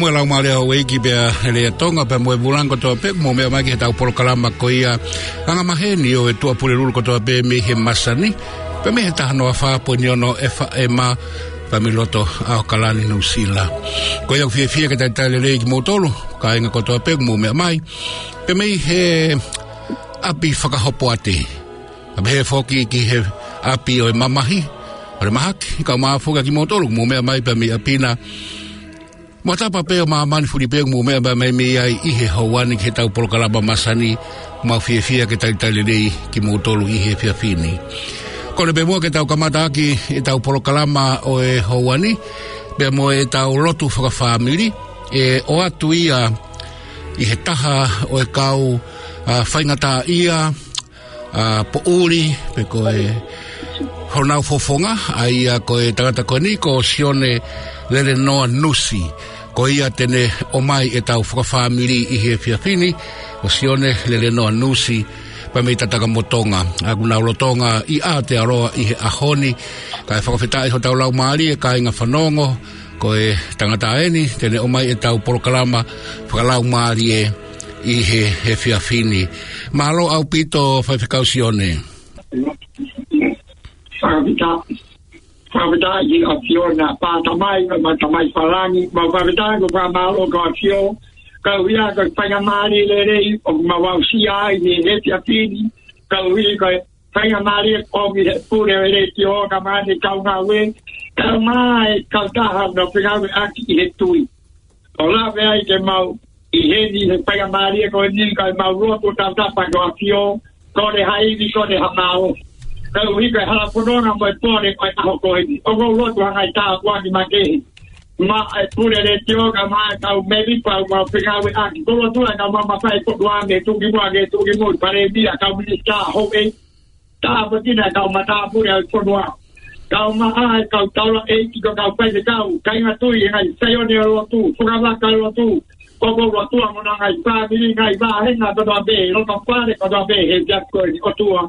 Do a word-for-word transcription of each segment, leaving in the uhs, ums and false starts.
Mo e laumālie ʻo e ʻEiki pea e lea Tonga pea mo e vūlangi kotoa pē, mou meʻa mai ki heʻetau polokalama ko ia, Anga Maheni ʻo e Tuʻapulelulu kotoa pē mei he masani, pea mei he taha noa fā poini ono F M, pea mei loto ʻAokalani, Nuʻusila. Ko ia ʻoku fiefia ke talitali lelei kimoutolu, kāinga kotoa pē, mou meʻa mai, pea mei he ʻapi fakahopoate. Pea pehē foki ki he ʻapi ʻo e mamahi, ʻo e mahaki, kae ʻumaʻā foki kimoutolu, mou meʻa mai pea mei ʻapi na. Mo e tapa pē ʻo māmani fuli pē, mou meʻa mai mei ai ʻi he houa ni ki heʻetau polokalama masani, mau fiefia ke talitali lelei kimoutolu ʻi he efiafi ni. Kole pē muʻa ke tau kamata ʻaki ʻetau polokalama ʻo e houa ni, pea mo ʻetau lotu fakafāmili, ʻe ʻoatu ia ʻi he taha ʻo e kau, ʻa, faingataʻaʻia, ʻa, poʻuli, pe ko e honau fofonga, ʻa ia ko e tangata ko eni ko Sione Lelenoa Nusi. Ko ia te ne ʻomai ʻetau fakafāmili ʻi he efiafi ni, ko Sione Lelenoa Nusi, pea mei Tatakamotonga. ʻOku nau lolotonga ʻi Aotearoa ʻi he ʻaho ni, kae fakafetaʻi hotau laumālie kāinga fanongo, ko e tangata eni te ne ʻomai ʻetau polokalama fakalaumālie ʻi he, he efiafi ni. Mālō ʻaupito Faifekau Sione. Fakafetaʻi, fakafetaʻi ʻAfiona, Tamai, mo Tamai Fakalangí, mo fakafetaʻi ko e fakamālō ko ʻAfio, koeʻuhi ko e faingamālie lelei ʻoku mau aʻusia ai ʻi he efiafi ni, koeʻuhi ko e faingamālie ʻomi he pule ʻo e letiō kae ʻumaʻā e kau ngāue, kae ʻumaʻā e kautaha ʻoku nau fengāueʻaki ʻi he tui. ʻO lave ai ke mau ʻi heni he faingamālie ko eni kae mau lotu tautapa ki he ʻAfio, kole ha ivi, kole ha mālohi. Koeʻuhi ko e hala fononga mo e pole ʻo e ʻaho ko eni. ʻOku ou lotu ha ngaahi tāpuaki makehe maʻa e pule letiō kae ʻumaʻā e kau mēmipa ʻoku mau fengāueʻaki. ʻOku ou lotu ai ke mau mafai ko tua me tuki mua ke tuki mua, Palēmia, kau minisitā, houʻeiki, tāpuekina e kau matāpule ʻo e fonua. Kae ʻumaʻā e kau taulaʻeiki, ko e kau faifekau, kāinga tui, e ngaahi saione ʻo e lotu, fungavaka ʻo e lotu, koko ʻo e lotu, mo e ngaahi fāmili, ngaahi vāhenga kotoa pē, loto fale kotoa pē, he efiafi ko eni, ʻOtua,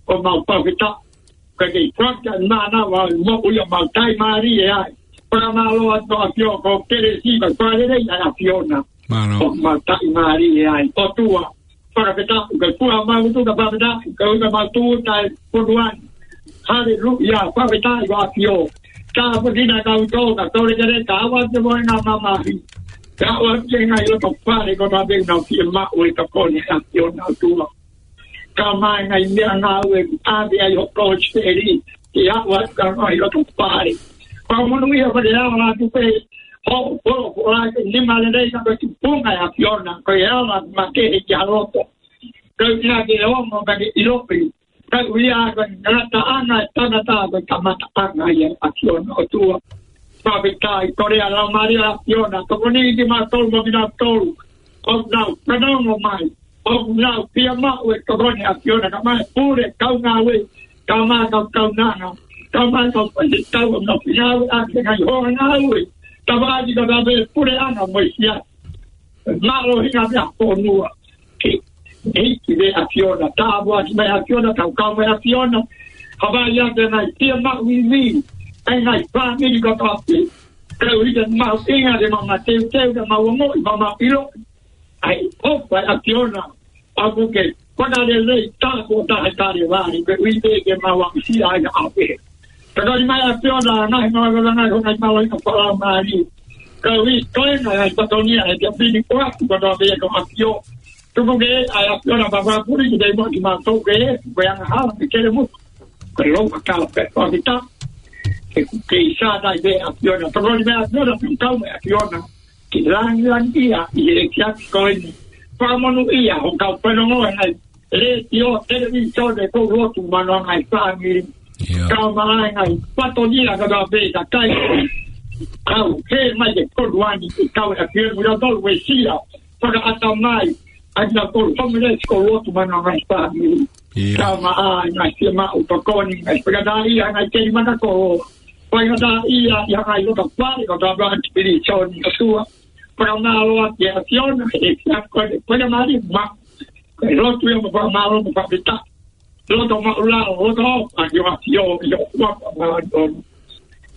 ʻoku mau fakafetaʻi. Ka ke fakafetaʻi mānava ʻa e moʻui ʻoku mau taʻimālie ai. Fakamālō atu ʻAfio ko e kelesi, ka fakalelei ʻa ʻAfiona. Mālō. ʻOku mau taʻimālie ai. ʻOtua, fakafetaʻi, ka kuo mau tuʻu ka fakafetaʻi, ka ʻoku mau tuʻu taʻe punuan. Haleluia, fakafetaʻi ʻAfio. Tāpuekina kau tō, ka tole kere, ka ʻoua te moe ngā mamahi. Ka ʻoua te ngaahi loto fale, ko e tape nau fiemaʻu e tokoni ʻa ʻAfiona ʻOtua. Kae ʻumaʻā e ngaahi meʻangāue ʻoku ʻave ai ho kōsipeli, ke aʻu atu ki he ngaahi loto fale. Fakamonūʻia ko e leʻo atu pē, ho, ho, ho, ʻa e nima lelei ka ko e tupunga ʻa ʻAfiona, ko e ala makehe ki ha loto. Ko e ʻuhinga ke ongo ka ke ʻiloʻi. Ka ʻuhinga ko e ngataʻanga ʻo e tangata ko e kamataʻanga ia ʻa ʻAfiona ʻOtua. Fakafetaʻi, kole ʻa e Laumālie ʻo ʻAfiona, tokoniʻi kimautolu mo kinautolu ʻoku nau fanongo mai, ʻoku nau fiemaʻu e tokoni ʻa ʻAfiona, kae ʻumaʻā e pule, kau ngāue, kae ʻumaʻā e kau kaunanga, kae ʻumaʻā e kau faifekau ʻoku nau fengāueʻaki he ngaahi houa ngāue. Tapa ʻaki ko e tape puleʻanga mo e siasi. Mālō hinga mea fonua. Ke, ke, ke ʻAfiona, tāpuaki mai ʻAfiona, tau kau mai ʻAfiona. Hapai ake nai, fiemaʻu ivi, ʻa e ngaahi fāmili kotoa pē. Ka ʻoku ʻikai mahuʻinga ke mau mateuteu, ke mau ongoʻi, mau ʻilo. ʻA e ʻofa ʻa ʻAfiona, ʻoku ke fakalelei, tā ko tā he kale vali, ke ui pē ke mau aʻusia ai ʻa ʻAfio. Ka ko e mai ʻAfiona, ngaahi mau ʻakalanga, ko e ngaahi mālohi ʻa e fakalaumālie. Ka ui, ko e ngaahi ʻai patonia, ʻe kia pini koa, ko tō pē ko ʻAfio. Tuku ke, ʻa e ʻAfiona, papa puli, ki te mo ki mātou ke, ko e angahala, ke kele mo. Ko e lou ka kala pē, ko kita. Ke, ke isa tai pē ʻAfiona. Tokoni mai ʻAfiona, tau mai ʻAfiona. Ke langilangiʻia ʻi he efiafi ko eni. Fakamonūʻia ho kau fanongo ʻi he ngaahi letiō, televīsone, ko e lotu manoʻanga ʻi he fāmili. ʻIo. Kae ʻumaʻā e ngaahi patonia ka tau pē ka kai. Kau, he mai ke kolu ani, ke kau e ʻAfiona mo ia tolu e sila. Fakaʻatamai, ʻa ia ko e homeless ko e lotu manoʻanga ʻi he fāmili. ʻIo. Kae ʻumaʻā e ngaahi fiemaʻu tokoni, ngaahi fakataha ʻi he ngaahi keli mata ko Faingataʻaʻia ʻi he ngaahi loto fale, ko e tapu atu pili Sione ʻOtua. Fakamālō atu ʻAfiona, he ʻoku ko e faingamālie maʻu. Ko e lotu ia mo e fakamālō mo e fakafetaʻi. Loto maʻulalo, loto ʻofa ki he ʻAfio, ʻi he ʻofa māʻoniʻoni.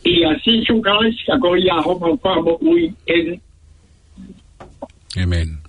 ʻIa Sīsū Kalaisi, ko ia homau Fakamoʻui, ʻēmeni. ʻĒmeni.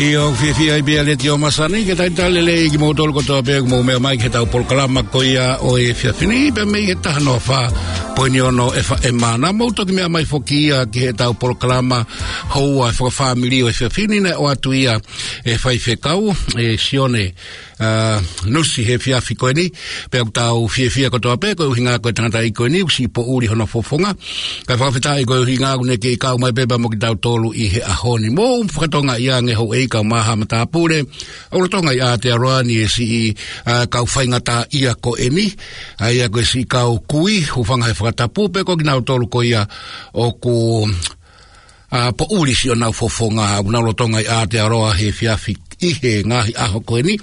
ʻIo, fiefia ʻi he Letiō Masani, ke talitali lelei kimoutolu kotoa pē ʻoku mou meʻa mai ki heʻetau polokalama ko ia ʻo e efiafi ni, pea mei he taha noa fā poini ono F M. Naʻa mou toki meʻa mai foki ia ki heʻetau polokalama houa fakafāmili ʻo e efiafi ni, naʻe ʻoatu ia ʻe he faifekau, ʻe Sione, ʻa, Nusi he efiafi ko eni, pea ʻoku tau fiefia kotoa pē, koeʻuhinga ko e tangataʻeiki ko eni, ʻoku siʻi poʻuli hono fofonga. Kae fakafetaʻi koeʻuhinga ʻoku ne kei kau mai pē pea mo kitautolu ʻi he ʻaho ni. Mou fakatonga ia ange houʻeiki kae ʻumaʻā haʻa matāpule ʻo lolotonga ʻi Aotearoa ni ʻa e siʻi, ʻa, kau faingataʻaʻia ko eni. ʻA ia ko e siʻi kau kui, hūfanga he fakatapu pē ko kinautolu ko ia ʻoku, ʻa, poʻuli siʻonau fofonga, ʻoku nau lolotonga ʻi Aotearoa he efiafi ʻi he ngaahi ʻaho ko eni.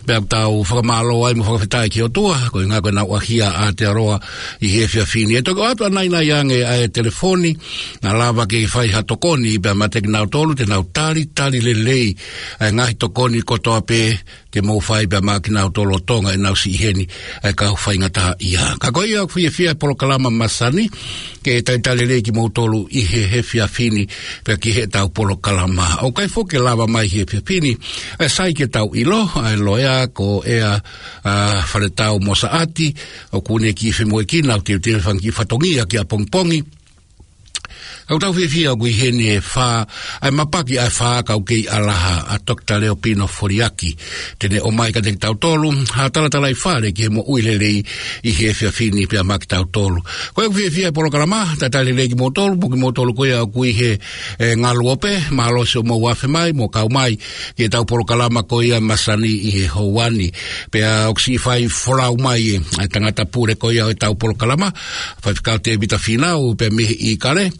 Pea ʻoku tau fakamālō ai mo fakafetaʻi ki he ʻOtua, koeʻuhinga ko ʻenau ʻaʻahi ʻa Aotearoa ʻi he efiafi ni. ʻE toki ʻoatu ʻanainai ange ʻa e telefoni, naʻa lava ke fai ha tokoni, pea meiate kinautolu, te nau talitali lelei ʻa e ngaahi tokoni kotoa pē, ke mou fai pea mo kinautolu lolotonga ʻenau siʻi ʻi heni ʻa e kau faingataʻaʻia. Ka ko ia ʻoku fiefia e polokalama Masani, ke talitali lelei kimoutolu ʻi he efiafi ni, pea ki heʻetau polokalama. ʻOku ʻikai foki ke lava mai he efiafi ni, ʻe sai ke tau ʻilo, ʻa e loea ko ʻEa, ʻa, Faletau Mosaʻati, ʻoku ne kiʻi femoʻuekina ʻo teuteu e fanga kiʻi fatongia ki ʻapongipongi. Ka ʻoku tau fiefia ʻoku ʻi heni e fā, ʻa e mapaki ʻa e fā kau kei ʻalaha, ʻa Toketā Leopino Foliaki. Te ne ʻomai kiate kitautolu ha talatalaifale ki he moʻui lelei ʻi he efiafi ni pea mo kitautolu. Ko ia ʻoku fiefia e polokalama, talitali lelei kimoutolu, mo kimoutolu ko ia ʻoku ʻi he, ʻe, ngaluope, mālō siʻomou afe mai mo kau mai ki heʻetau polokalama ko ia Masani ʻi he houa ni. Pea ʻoku siʻi fai folau mai ʻe, ʻa e tangata pule ko ia ʻo ʻetau polokalama, Faifekau Tēvita Fīnau, pea mei he ʻIkale,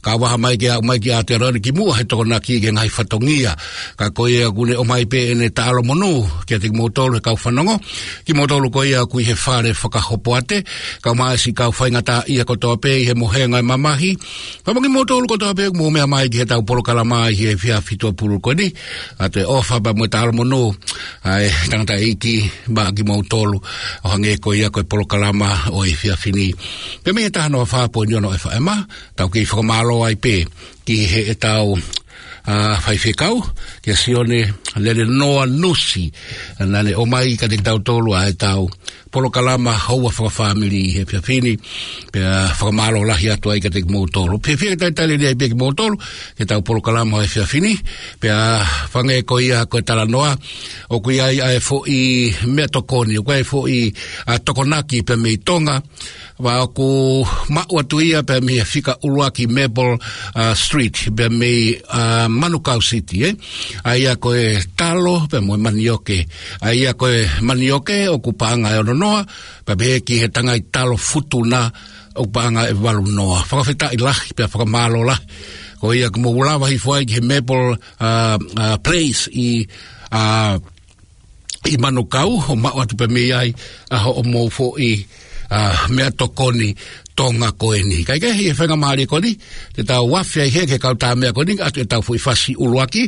kau vaha mai ke aʻu mai ki Aotearoa ni kimuʻa he tokonaki ki he ngaahi fatongia. Ka ko ia ʻoku ne ʻomai pē ʻene taʻalo monū kiate kimoutolu he kau fanongo, kimoutolu ko ia ʻoku ʻi he fale fakahopoate, kae ʻumaʻā siʻi kau faingataʻaʻia kotoa pē ʻi he mohenga ʻo e mamahi, pea mo kimoutolu kotoa pē ʻoku mou meʻa mai ki heʻetau polokalama ʻi he efiafi tuʻapulelulu ko eni. ʻOatu e ʻofa pea mo e taʻalo monū ʻa e tangataʻeiki maʻa kimoutolu, ʻo hangē ko ia ko e polokalama ʻo e efiafi ni. Pea mei he taha noa fā poini ono F M, tau kei fakamālō ai pē ki heʻetau, ʻa, faifekau, kia Sione Lelenoa Nusi, naʻa ne ʻomai kiate kitautolu ʻa ʻetau polokalama houa fakafāmili ʻi he efiafi ni, pea fakamālō lahi atu ai kiate kimoutolu. Fiefia ke talitali lelei pē kimoutolu ki heʻetau polokalama ʻo e efiafi ni, pea hangē ko ia ko e talanoa, ʻoku ʻi ai ʻa e foʻi meʻatokoni, ʻoku ʻi ai e foʻi, ʻa, tokonaki pea mei Tonga, pea ʻoku maʻu atu ia pea mei he fika ʻuluaki Maple, ʻa, Street, pea mei, ʻa, Manukau City, ē? ʻA ia ko e talo pea mo e manioke. ʻA ia ko e manioke ʻoku paʻanga ʻe ono noa, pea pehē ki he tangai talo Futuna ʻoku paʻanga ʻe valu noa. Fakafetaʻi lahi, pea fakamālō lahi. Ko ia ʻoku mou lava hifo ai ki he Maple, ʻa, ʻa, Place ʻi, ʻa, ʻi Manukau, ʻo maʻu atu pē mei ai ʻa hoʻomou foʻi, ʻa, meʻatokoni Tonga ko eni. Kae kehe ʻi he faingamālie ko eni, te tau afe ai hē ki he kau tā meʻa ko eni, ʻoatu ʻetau foʻi fasi ʻuluaki,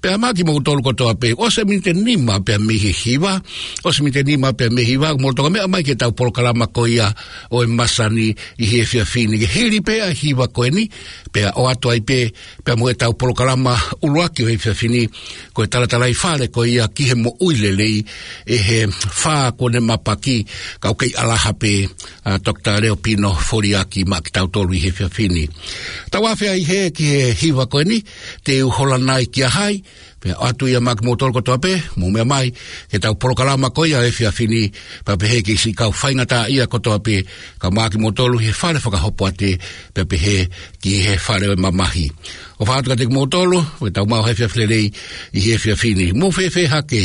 pea mo kimoutolu kotoa pē, ʻosi e miniti ʻe nima pea mei he hiva, ʻosi e miniti ʻe nima pea mei he hiva, mou toki meʻa mai ki heʻetau polokalama ko ia ʻo e Masani ʻi he efiafi ni. Ke hili pē ʻa e hiva ko eni, pea ʻoatu ai pē, pea mo ʻetau polokalama ʻuluaki ʻo e efiafi ni, ko e talatalaifale ko ia ki he moʻui lelei, ʻe he fā kuo ne mapaki, kau kei ʻalaha pē, ʻa Toketā Leopino Foliaki maʻa kitautolu ʻi he efiafi ni. Tau afe ai hē ki he hiva ko eni, te u hola nai kia hai, pea ʻoatu ia maʻa kimoutolu kotoa pē, mou meʻa mai ki heʻetau polokalama ko ia ʻo e efiafi ni, pea pehē ki he siʻi kau faingataʻaʻia kotoa pē, kae ʻumaʻā kimoutolu he fale fakahopoate, pea pehē ki he fale ʻo e mamahi. ʻOfa atu kiate kimoutolu, ʻoku tau maʻu ha efiafi lelei ʻi he efiafi ni. Mou fēfē hake?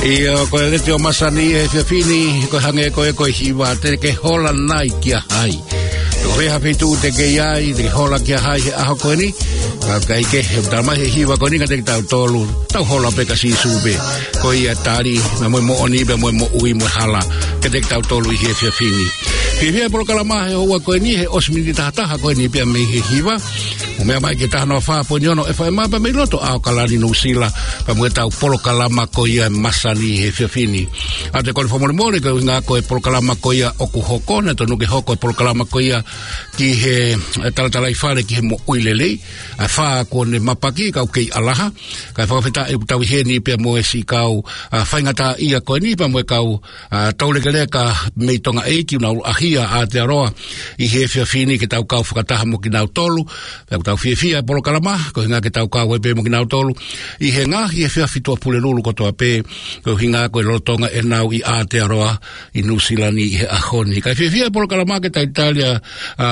ʻIo, ko e Letiō Masani he efiafi ni, ko e hangē ko e, ko e hiva, te ke hola nai kia hai? Ko e hā e feituʻu te ke ʻi ai, te ke hola kia hai he ʻaho ko eni? Ka ʻikai ke, he tala mai he hiva ko eni kiate kitautolu, tau hola pē kia Sīsū pē. Ko ia e tali, mo e moʻoni pea mo e moʻui mo e hala kiate kitautolu ʻi he efiafi ni. Fiefia e polokalama he houa ko eni, he ʻosi miniti taha taha ko eni pea mei he hiva. ʻOku meʻa mai ki he taha noa fā poini ono FM pea mei loto ʻAokalani, Nuʻusila, pea mo ʻetau polokalama ko ia Masani he efiafi ni. ʻOatu e kole fakamolemole koeʻuhinga ko e polokalama ko ia ʻoku hoko, naʻe tonu ke hoko e polokalama ko ia ki he, e, Talatalaifale ki he Moʻui Lelei, ʻa e fā kuo ne mapaki, kau kei ʻalaha, kae fakafetaʻi ʻoku tau ʻi heni pea mo e siʻi kau, ʻa, faingataʻaʻia ko eni pea mo e kau, ʻa, taulekeleka mei Tonga ʻEiki, ʻoku nau ʻaʻahi ʻa Aotearoa ʻi he efiafi ni ke tau kau fakataha mo kinautolu. Pea ʻoku tau fiefia e polokalama, koeʻuhinga ke tau kau ai pē mo kinautolu ʻi he ngaahi efiafi Tuʻapulelulu kotoa pē, koeʻuhinga ko e lolotonga ʻenau ʻi Aotearoa ʻi Nuʻusila ni ʻi he ʻaho ni. Kae fiefia e polokalama ke talitali ʻa, ʻa,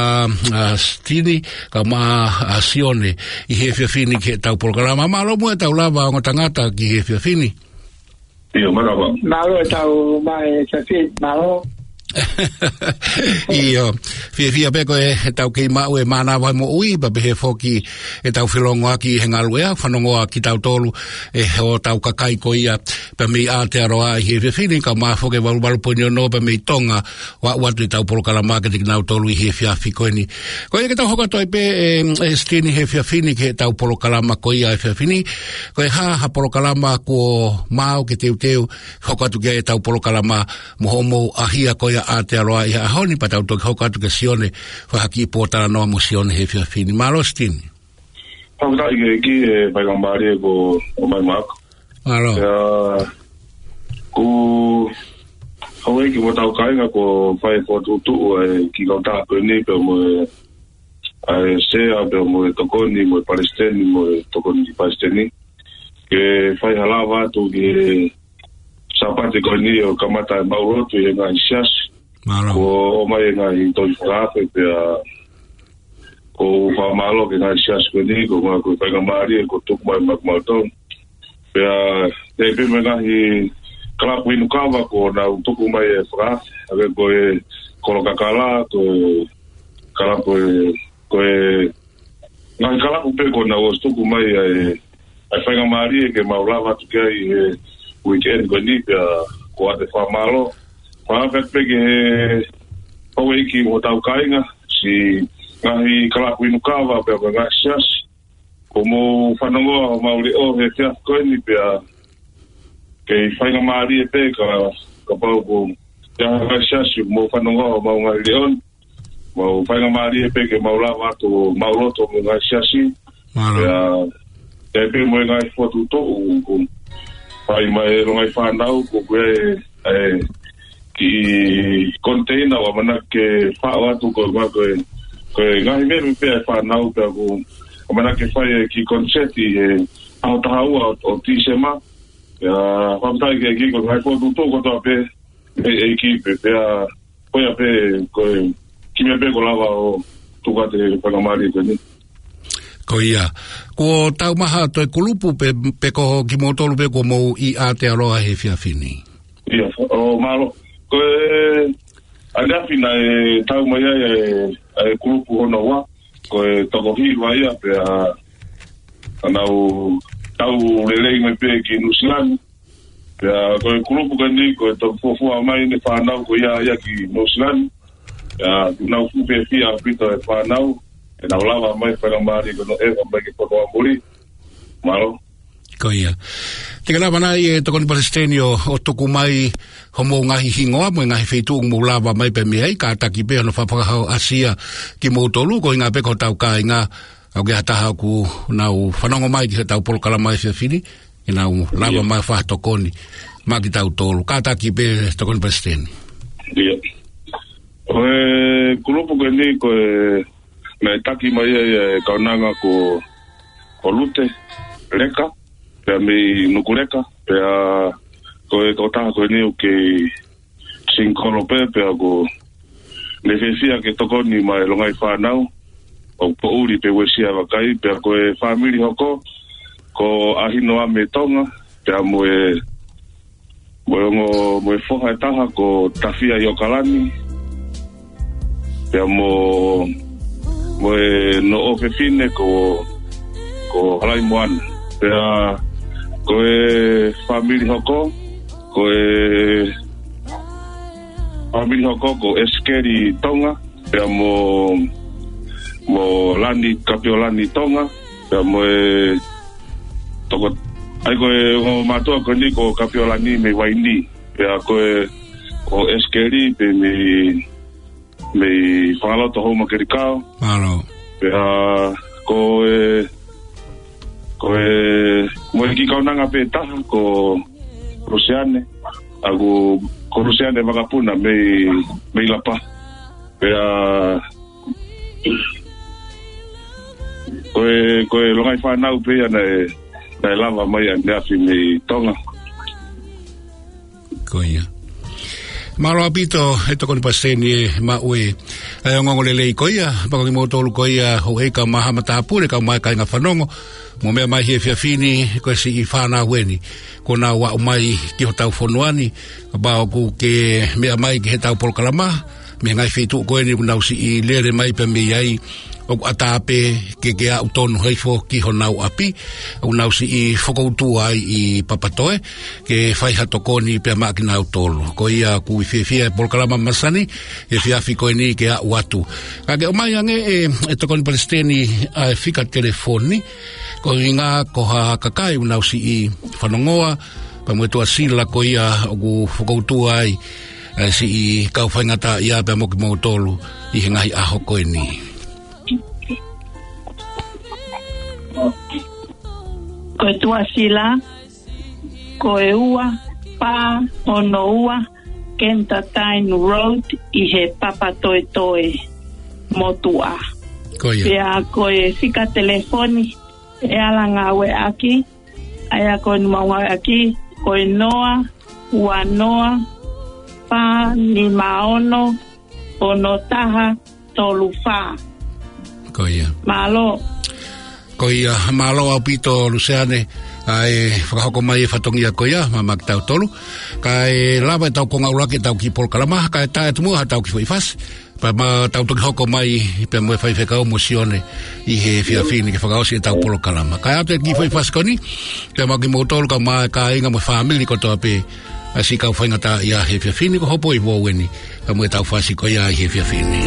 ʻa Sitini, kae ʻumaʻā ʻa Sione ʻi he efiafi ni ki heʻetau polokalama. Mālō muʻa ʻetau lava ongo tangata ki he efiafi ni. ʻIo, mālō. Mālō ʻetau maʻu e efiafi, mālō. ʻIo, fiefia pē ko e, ʻetau kei maʻu e mānava moʻui, pea pehē foki ʻetau felōngoaki he ngaluʻea, fanongoa kitautolu, ʻe hotau kakai ko ia, pea mei Aotearoa ʻi he efiafi ni, kae ʻumaʻā foki e valu valu poini ono pea mei Tonga, ʻo aʻu atu ʻetau polokalama kiate kinautolu ʻi he efiafi ko eni. Ko ia ke tau hoko atu ai pē, ʻe, ʻe Sitini he efiafi ni ki heʻetau polokalama ko ia he efiafi ni. Ko e hā ha polokalama kuo maau ke teuteu, hoko atu ki ai ʻetau polokalama mo hoʻomou ʻaʻahi ko ia ʻa Aotearoa ʻi he ʻaho ni, pea tau toki hoko atu kia Sione, fai ha kiʻi pōtalanoa mo Sione he efiafi ni. Mālō Sitini. Fakafetaʻi ki he ʻEiki he faingamālie kuo ʻomai maʻaku. Mālō. ʻIa, ko e houʻeiki mo hotau kāinga kuo fai e fokotuʻutuʻu ʻa e kiʻi kautaha ko eni pea mo e, ʻa e sea pea mo e tokoni mo e palesiteni mo e tokoni palesiteni. Ke fai ha lava atu ki he Sāpate ko eni ʻo kamata e maʻu lotu ʻi he ngaahi siasi. Mālō. Kuo ʻomai e ngaahi tohi fakaafe pea ʻoku ou fakamālō ki he ngaahi siasi ko eni, koeʻuhinga ko e faingamālie kuo tuku mai maʻaku mautolu. Pea, ʻi ai pē mo e ngaahi kalapu inu kava kuo nau tuku mai e fakaafe, hangē ko e Kolo Kakala, ko e kalapu e, ko e ngaahi kalapu pē kuo nau ʻosi tuku mai ʻa e, ʻa e faingamālie ke mau lava atu ki ai he weekend ko eni pea ʻoku ou fakamālō. Fakafetaʻi pē ki he houʻeiki mo hotau kāinga, siʻi ngaahi kalapu inu kava pea mo e ngaahi siasi. Kuo mou fanongoa homau leʻo he efiafi ko eni pea kei faingamālie pē ka, kapau ko e hā ha ngaahi siasi kuo mou fanongoa homau ngaahi leʻo ni. Mau faingamālie pē ke mau lava atu ʻo maʻu lotu mo e ngaahi siasi. Mālō. Pea, ʻi ai pē mo e ngaahi fokotuʻutuʻu kuo fai mai ʻe he longaʻi fānau, ko e, ʻa e kiʻi container ʻoku ʻamanaki ke faʻo atu ko e, ko e, ko e ngaahi meʻa pē ʻa e fānau pea ʻoku ʻamanaki ke fai e kiʻi concert ʻi he ʻaho taha ua ʻo, ʻo Tīsema. Pea, fakafetaʻi ki he ʻEiki ko e ngaahi fokotuʻutuʻu kotoa pē, ʻe, ʻEiki pē, pea, ko ia pē, ko e, kiʻi meʻa pē kuo lava ʻo tuku atu he faingamālie ko eni. Ko ia. Kuo taumaha ʻa e kulupu pe, pe ko kimoutolu pē kuo mou ʻi Aotearoa he efiafi ni? ʻIa, ʻo mālō. Ko e, ʻaneafi naʻe tau mai ai e, e kulupu hono ua. Ko e toko hiva ia pea, ʻa, nau tau lelei mai pē ki Nuʻusila ni. Pea ko e kulupu ko eni, ko e toko fuofua mai ʻene fānau ko ia ia ki Nuʻusila ni. Pea ʻoku nau fuʻu fiefia ʻaupito e fānau, ʻenau lava mai faingamālie ko ē ʻo ʻeva mai ki Potu ʻAmuli. Mālō. Ko ia. Te ke lava nai ʻe Tokoni Palesiteni ʻo, ʻo tuku mai homou ngaahi hingoa mo e ngaahi feituʻu ʻoku mou lava mai pē mei ai, kātaki pē hono fakahā ʻasia kimoutolu, koeʻuhinga pē ko hotau kāinga, ʻoku ʻi ai ha taha ʻoku nau fanongo mai ki heʻetau polokalama he efiafi ni, ke nau lava mai ʻo fai ha tokoni maʻa kitautolu. Kātaki pē Tokoni Palesiteni. ʻIa. Ko e kulupu ko eni ko e naʻe taki mai ai e kaunanga ko, ko Lute Leka, pea mei Nukuleka, pea ko e tokotaha ko eni ʻoku kei singikolo pē, pea ʻoku ne fiefia ke tokoni maʻa e longaʻi fānau, ʻoku poʻuli pē uesia vakai, pea ko e fāmili hoko, ko ʻAhinoa mei Tonga, pea mo e mo e ongo, mo e foha ʻe taha ko Tafia ʻIokalani, pea mo, mo hono ʻofefine ko, ko Halaimoana. Pea ko e fāmili hoko, ko e fāmili hoko ko ʻEsikeli Tonga, pea mo, mo Lani, Kapiolani Tonga, pea mo e toko, ʻa ia ko e ongo mātuʻa ko eni ko Kapiolani mei Vainī. Pea ko e, ko ʻEsikeli pē mei, mei Fangaloto Houmakelikao. Mālō. Pea ko e, ko e, mo e kiʻi kaunanga pē taha ko Luseane. ʻA ia ko Luseane Vakapuna mei, mei Lapa. Pea ko e, ko e longaʻi fānau pē ia naʻe, naʻe lava mai ʻaneafi mei Tonga. Ko ia. Mālō ʻaupito, ʻe Tokoni Palesiteni, ʻe maʻu e, e ongoongo lelei ko ia, pea ko kimoutolu ko ia, houʻeiki kau maama tāpule, kau mai kāinga fanongo, mou meʻa mai he efiafi ni, ko e siʻi fānau eni, kuo nau aʻu mai ki hotau fonua ni, kapau ʻoku ke meʻa mai ki heʻetau polokalama, mei he ngaahi feituʻu ko eni ʻoku nau siʻi lele mai pē mei ai, ʻoku ʻatā pē ke ke aʻu tonu hifo ki honau ʻapi, ʻoku nau siʻi fokoutua ai ʻi Papatoe, ke fai ha tokoni pea maʻa kinautolu. Ko ia ʻoku fiefia e polokalama masani, he efiafi ko eni ke aʻu atu. Ka ke ʻomai ange ʻe, ʻe Tokoni Palesiteni ʻa e fika telefoni, ko e ʻuhinga ko ha kakai ʻoku nau siʻi fanongoa, pea mo e tuʻasila ko ia ʻoku fokoutua ai, ʻa e siʻi kau faingataʻaʻia pea mo kimoutolu ʻi he ngaahi ʻaho ko eni. Ko e tuʻasila, ko e ua fā ono ua Kentataini Road ʻi he Papatoetoe motuʻa. Ko ia. Pea ko e fika telefoni ʻe ala ngāueʻaki, ʻa ia ko ʻene ngāueʻaki, ko e noa ua noa fā nima ono ono taha tolu fā. Ko ia. Mālō. Ko ia, mālō ʻaupito Luseane, ʻa e fakahoko mai e fatongia ko ia, maʻa kitautolu. Kae lava ʻetau konga ʻuluaki ʻetau kiʻi polokalama, kae tā atu muʻa haʻatau kiʻi foʻi fasi. Pea ma tau toki hoko mai, pea mo e faifekau mo Sione, ʻi he efiafi ni ke fakaʻosi ʻetau polokalama. Kae ʻoatu e kiʻi foʻi fasi ko eni, pea maʻa kimoutolu kau mai kāinga mo e fāmili kotoa pē, ʻa e siʻi kau faingataʻaʻia he efiafi ni ko Hopoipo Ueni, pea mo ʻetau fasi ko ia ʻi he efiafi ni.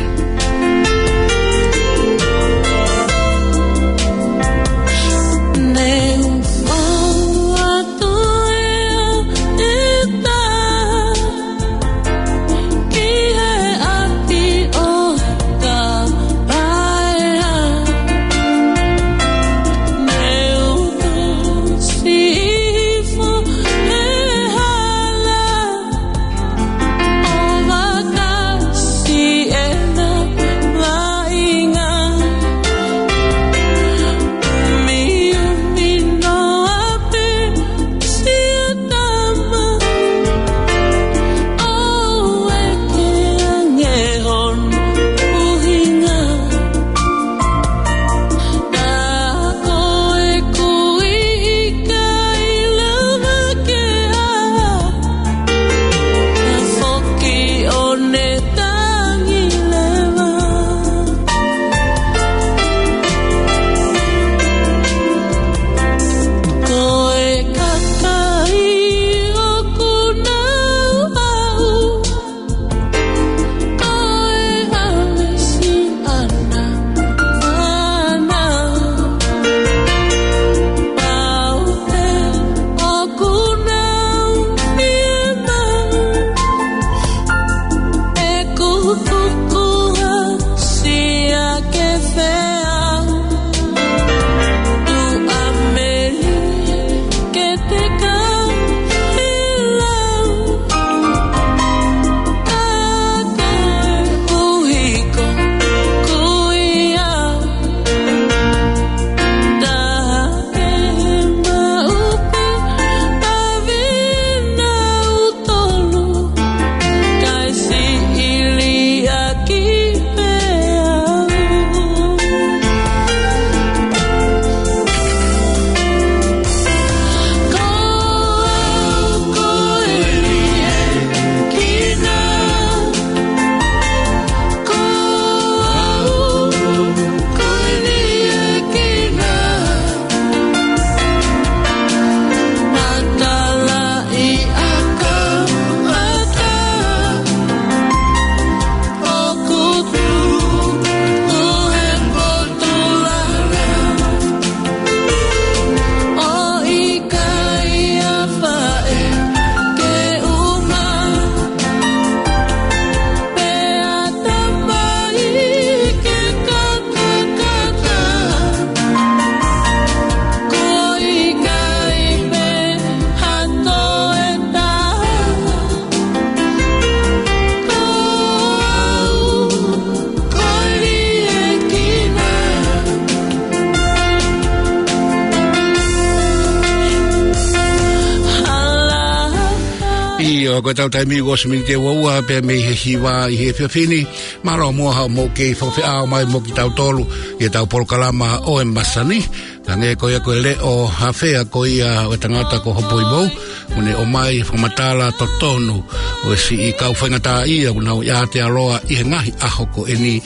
Ko ʻetau taimi ʻoku ʻosi miniti ʻe ua ua pē mei he hiva ʻi he efiafi ni. Mālō muʻa hoʻomou kei fakafeʻao mai mo kitautolu ʻi heʻetau polokalama ʻo e masani. Hangē ko ia ko e leʻo hafea ko ia ʻo e tangata ko Hopoivou, ʻoku ne ʻomai fakamatala totonu ʻo e siʻi kau faingataʻaʻia ʻoku nau ʻi Aotearoa ʻi he ngaahi ʻaho ko eni,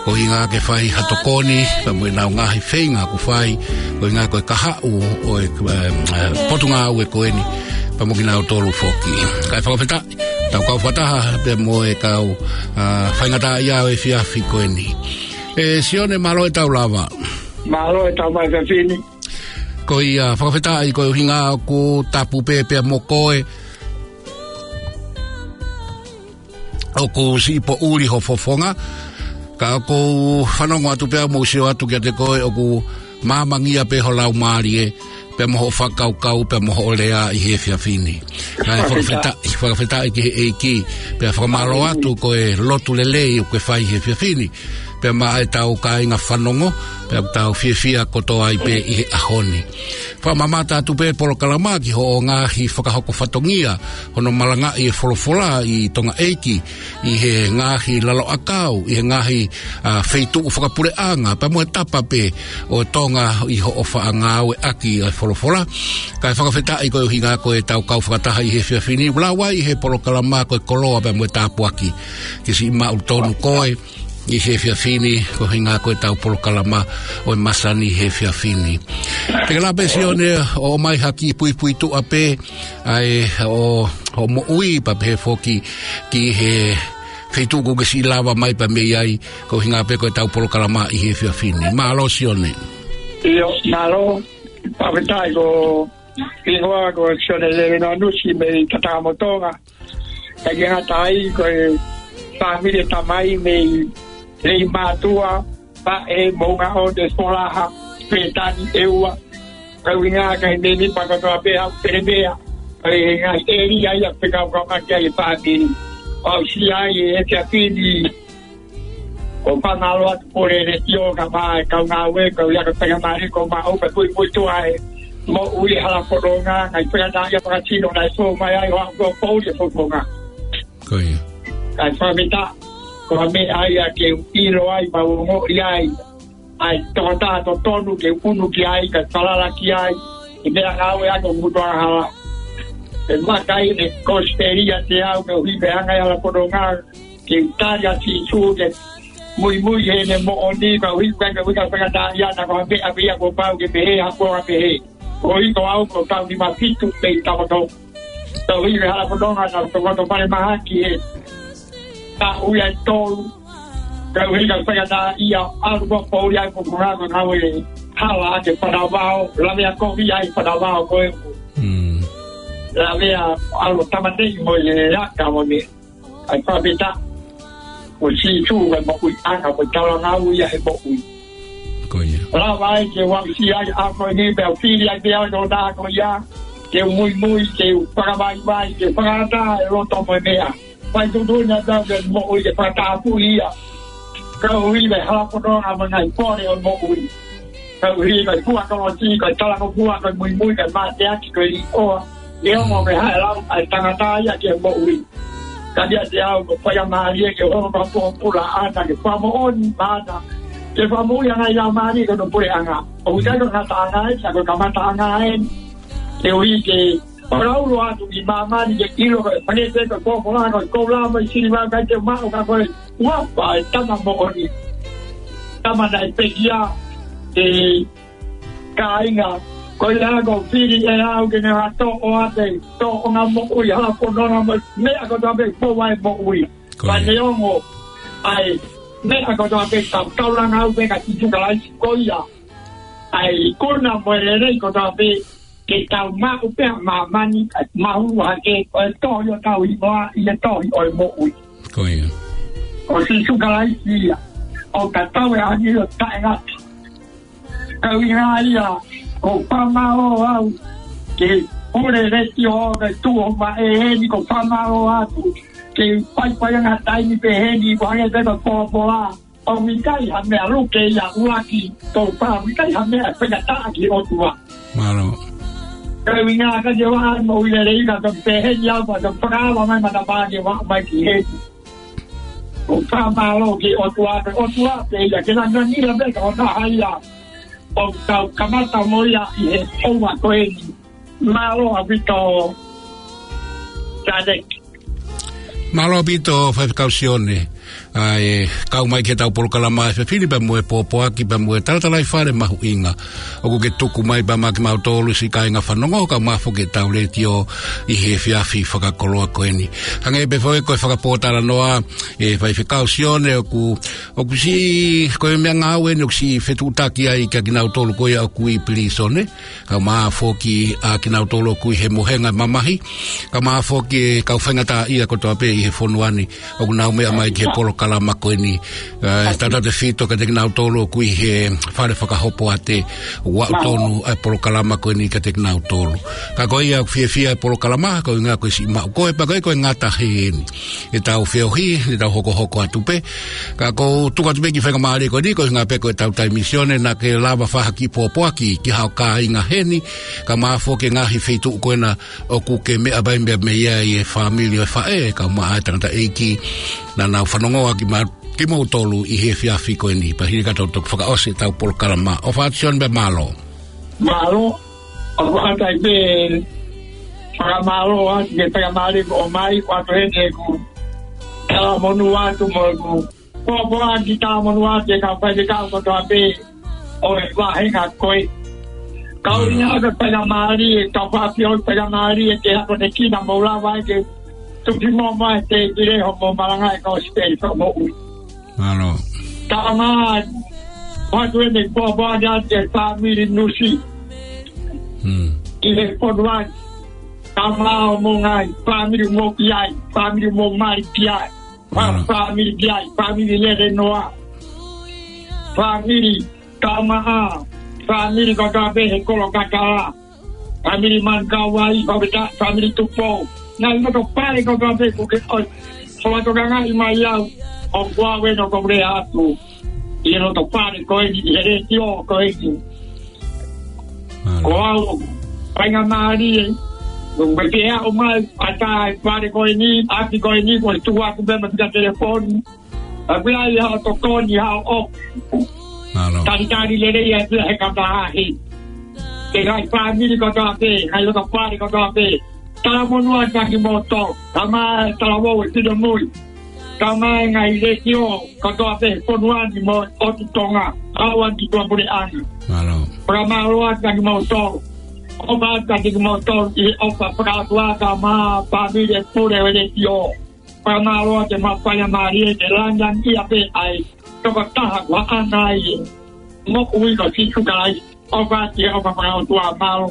ko e ʻuhinga ke fai ha tokoni pea mo ʻenau ngaahi feinga ʻoku fai, ko e ʻuhinga ko e kahaʻu ʻo e, eh, eh, potungāue ko eni pea mo kinautolu foki. Kae fakafetaʻi, tau kau fakataha pea mo e kau, ah, faingataʻaʻia ʻo e efiafi ko eni. ʻE Sione, mālō e tau lava. Mālō e tau mai efiafi ni. Ko ia, fakafetaʻi, ko e ʻuhinga ʻoku tapu pē pea mo koe, ʻoku siʻi poʻuli ho fofonga, ka ʻoku ou fanongo atu pea mo sio atu kiate koe ʻoku māmangia pē ho laumālie, pea mo hoʻo fakakaukau, pea mo hoʻo lea ʻi he efiafi ni. Kae fakafetaʻi, fakafetaʻi ki he ʻEiki, pea fakamālō atu ko e lotu lelei ʻoku ke fai he efiafi ni, pea maʻa ʻetau kāinga fanongo, pea ʻoku tau fiefia kotoa ai pē ʻi he ʻaho ni. Fakamamata atu pē polokalama ki hoʻo ngaahi fakahoko fatongia, hono malangaʻi e folofola ʻi Tonga ʻeiki, ʻi he ngaahi lalo ʻakau, ʻi he ngaahi, ah, feituʻu fakapuleʻanga, pea mo e tapa pē ʻo Tonga ʻi hoʻo faʻa ngāueʻaki e folofola. Kae fakafetaʻi ko e ʻuhinga ko e tau kau fakataha ʻi he efiafi ni, ʻoku lau ai ʻe he polokalama ko e koloa pea mo e tāpuaki ke siʻi maʻu tonu koe ʻi he efiafi ni, ko e ʻuhinga ko e tau polokalama ʻo e masani he efiafi ni. Te ke lava pē Sione ʻo ʻomai ha kiʻi puipuituʻa pē ʻa e ʻo, ʻo moʻui pea pehē foki ki he feituʻu ʻoku ke siʻi lava mai pea mei ai, ko e ʻuhinga pē ko e tau polokalama ʻi he efiafi ni. Mālō Sione. ʻIo, mālō, fakafetaʻi, ko e hingoa ko Sione Lelenoa Nusi mei Tatakamotonga. Kae ngata ai ko e fāmili ʻa e tamai mei Leimātuʻa, Paʻe, Moʻungaʻone, Folaha, Pētani, ʻEua. Ko e ʻuhinga kae meʻa ni pea kotoa pē au pele pea. Ko e ngaahi ʻēlia ia ʻoku fekauʻaki ai e fāmili. ʻOku ou sio ai he efiafi ni, ʻoku ou fakamālō atu Pule Letiō kae ʻumaʻā e kau ngāue, kau ia ka penga mali ko maʻu pē puipuituʻa e moʻui hala fononga, ngaahi faingataʻaʻia fakasino naʻe sio mai ai ʻo aʻu ki he poʻuli e fononga. Ko ia. Kae fakafetaʻi, ko e meʻa ia ke u ʻilo ai, pea u ongoʻi ai ʻa e tokotaha totonu ke u ʻunu ki ai, kae falala ki ai ʻi he meʻangāue ʻa e kau mutuʻanga hala. ʻE makai ne kosipeli ʻiate au ke u hipe anga ʻi hala fononga, ke u tali ʻa Sīsū, ke muimui heʻene moʻoni, ka u hipe ke u ʻikai faingataʻaʻia, naʻa ko ha meʻa pē ia kuo pau ke pehē, ha kuo pehē. Ko e hoko au ko e taʻu nima fitu pē ʻi Takoto. Tau ʻi he hala fononga naʻa ku tokoto falemahaki he taʻu ʻe tolu. Ka u ʻikai faingataʻaʻia, ʻalu ki he poʻuli ʻa e fononga ko e ngāue hala ʻa e fanavao, lavea kovi ʻa e fanavao ko ē. Mm. Lavea ʻalu tamateʻi mo e aka mo e meʻa. ʻA e fakafetaʻi, ko Sīsū ko e moʻuiʻanga, ko e talangau ia he moʻui. Ko ia. Lava ai ke u aʻusia ai ʻa e ʻaho ni pea u fili ai pē au ʻi he tokotaha ko ia, ke u muimui, ke u fakavaivai, ke fakaʻatā e loto mo e meʻa. Fai tuʻutuʻuni atu ke moʻui ke fakatapui ia. Ka u ʻi he hala fononga mo e ngaahi pole ʻo e moʻui. Ka u ʻi he fua kolosi, ka talangofua, ka muimui, ka mateaki, ka liʻoa. ʻE ongo ke haʻele ʻa e tangata ia ki he moʻui. Ka ʻiate au ko e faingamālie ke hoko ko e pōpula ʻana ke fakamoʻoni maʻana. Ke fakamoʻui ʻa e ngaahi laumālie ko hono puleʻanga. ʻOku ʻikai ko e ngataʻanga eni, ka ko e kamataʻanga eni. Ke ui ke fakaulo atu ki māmani ke ʻilo ko e palese ko e pōpula ko e koula mo e siliva ʻikai te u maʻu ka ko e uafa e tama moʻoni. Tama naʻe pekia e kāinga. Ko ia ko e fili ʻe au ke ne hanga ʻo toʻo ʻa e toʻonga moʻui, hala fononga mo e meʻa kotoa pē ʻoku fou ai e moʻui. Ko ia. Pea neongo ʻa e meʻa kotoa pē, tau taulanga au pē kia Sīsū Kalaisi ko ia ʻa e ikuna mo e lelei kotoa pē ke tau maʻu pē ʻa māmani, ʻa e mahu hake, ko e tohi ʻo ʻetau hingoa ʻi he tohi ʻo e moʻui. Ko ia. Ko Sīsū Kalaisi ia, ʻoku tatau e ʻaho ni ʻo taʻengata. Ka ʻuhinga ia, ʻoku ou fakamālō au ki he Pule Letiō, ke tuʻu mai eni, ʻoku ou fakamālō atu ki he faifaiʻanga taimi pehē ni, ʻoku hangē pē ko e pōpula. ʻOku ʻikai ha meʻa luke ia ʻuluaki, ʻoku ʻikai ha meʻa faingataʻa ki he ʻOtua. Mālō. Kau ʻi ngā ka te wa ai mo ui lelei ka tau peheni au ka tau whakaava mai mata pā ke wa mai ki he. ʻO fakamālō ki he ʻOtua, ʻOtua pē ia ke langa nila pē ka o taha ia. ʻO kau kamata mo ia ʻi he ʻoua ko eni. Mālō ʻaupito. Tadek. Mālō ʻaupito Faifekau Sione. ʻA e kau mai ki heʻetau polokalama he efiafi ni pea mo e pōpoaki pea mo e talatalaifale mahuʻinga. ʻOku ke tuku mai pea maʻa kimautolu siʻi kāinga fanongo kae ʻumaʻā foki ʻetau letiō ʻi he efiafi fakakoloa ko eni. Hangē pē foki ko e fakapōtalanoa ʻa Faifekau Sione ʻoku, ʻoku siʻi, ko e meʻangāue eni ʻoku siʻi fetuʻutaki ai kia kinautolu ko ia ʻoku ʻi pilīsone. Kae ʻumaʻā foki ʻa kinautolu ʻoku ʻi he mohenga mamahi. Kae ʻumaʻā foki e kau faingataʻaʻia kotoa pē ʻi he fonua ni. ʻOku nau meʻa mai ki he polokalama ko eni. ʻE, tautautefito kiate kinautolu ʻoku ʻi he fale fakahopoate. ʻOku aʻu tonu ʻa e polokalama ko eni kiate kinautolu. Ka ko ia ʻoku fiefia e polokalama, ko e ʻuhinga ko e siʻi maʻu ko e pea ko e ko e ngata heni. ʻEtau feohi, ʻetau hokohoko atu pē. Ka ʻoku ou tuku atu pē kiʻi faingamālie ko eni, ko e ʻuhinga pē ko ʻetau taimi Sione naʻa ke lava fai ha kiʻi pōpoaki ki haʻo kāinga heni, kae ʻumaʻā foki e ngaahi feituʻu ko ena ʻoku ke meʻa mai mei ai e fāmili ʻo e faʻē, kae ʻumaʻā e tangataʻeiki naʻa nau fanongoa ki ma-, kimoutolu ʻi he efiafi ko eni, pea hili ka tau toki fakaʻosi ʻetau polokalama. ʻOfa atu Sione pea mālō. Mālō, ʻoku ʻatā pē fakamālō atu ki he faingamālie kuo ʻomai, ʻoatu heni ʻeku talamonū atu mo ʻeku pōpoaki talamonū atu ki he kau faifekau kotoa pē ʻo e vāhenga ko ē. Kau ʻi ai ʻa e faingamālie, kau fafio faingamālie ke hako ne kina mo lava ai ke tuki mo mai te kile ho mo malanga e kau sipeli fakamoʻui. Mālō. Tama, ʻoatu heni ʻeku pōpoaki atu ki he fāmili Nusi. Hmm. ʻI he fonua ni. Tama ʻo mo ngaahi fāmili mo ki ai, fāmili mo mali ki ai. Fa-, Mālō. Fāmili ki ai, fāmili lele noa. Fāmili Taumaʻa, fāmili kotoa pē he kolo kakala. Fāmili Manukauʻi, fāmili Ta-, fāmili Tupou. Ngaahi loto fale kotoa pē kuo ke ʻosi. Hola tokangaʻi mai au, ʻoku ou ʻave ʻeku lea atu. ʻI he loto fale ko eni, ʻi he letiō ko eni. Mālō. Ko au, faingamālie, ʻoku ke aʻu mai, ʻatā e fale ko eni, ʻapi ko eni, ko e tuku atu pē mo e fika telefoni. ʻA pea ʻi haʻo tokoni haʻo ʻoku. Mālō. Talitali lelei atu he kamataʻahi. Ke ngaahi fāmili kotoa pē, ngaahi loto fale kotoa pē. Talamonū atu kia kimoutolu. Tama e talavou e Finemui. Tama e ngaahi letiō kotoa pē fonua ni mo ʻOtu Tonga. Haʻu atu ki tuʻapuleʻanga. Mālō. Fakamālō atu kia kimoutolu. ʻOfa atu kia kimoutolu ʻi he ʻofa fakaʻotua tama fāmili e pule ʻo e letiō. Fakamālō atu e maʻu faingamālie ke langilangiʻia pē ʻa e tokotaha kuo haʻana ai e moʻui ko Sīsū Kalaisi. ʻOfa atu e ʻofa fakaʻotua, mālō.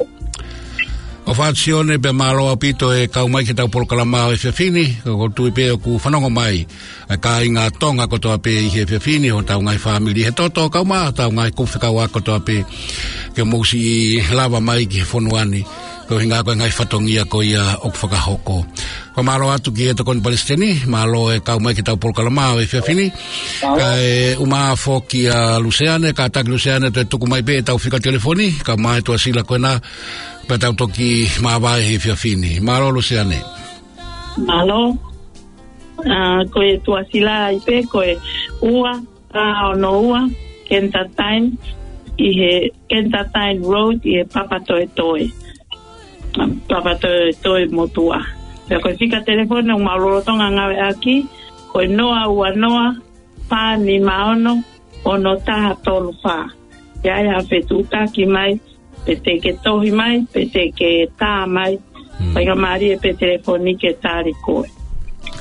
ʻOfa atu Sione pea mālō ʻaupito e kau mai ki heʻetau polokalama ʻo e efiafi ni, ka ʻoku ou tui pē ʻoku fanongo mai ʻa e kāinga Tonga kotoa pē ʻi he efiafi ni, hotau ngaahi fāmili he toto, kae ʻumaʻā hotau ngaahi kupu fekauʻaki kotoa pē, ke mou siʻi lava mai ki he fonua ni, ko e ʻuhinga ko e ngaahi fatongia ko ia ʻoku fakahoko. Fakamālō atu ki he Tokoni Palesiteni, mālō e kau mai ki heʻetau polokalama ʻo e efiafi ni. Kae ʻumaʻā foki ʻa Luseane, kātaki Luseane toe tuku mai pē ʻetau fika telefoni, kae ʻumaʻā e tuʻasila ko ena, pea tau toki māvae he efiafi ni. Mālō Luseane. Mālō. ʻA, ko e tuʻasila ai pē, ko e ua, ua ono ua, Kentataine, ʻi he Kentataine Road, ʻi he Papatoetoe. Papatoetoe motuʻa. Pea ko e fika telefoni ʻoku mau lolotonga ngāueʻaki, ko e noa ua noa, fā nima ono, ono taha tolu fā. ʻI ai ha fetuʻutaki mai, pe te ke tohi mai, pe te ke tā mai. Hmm. Faingamālie pē telefoni ke tali koe.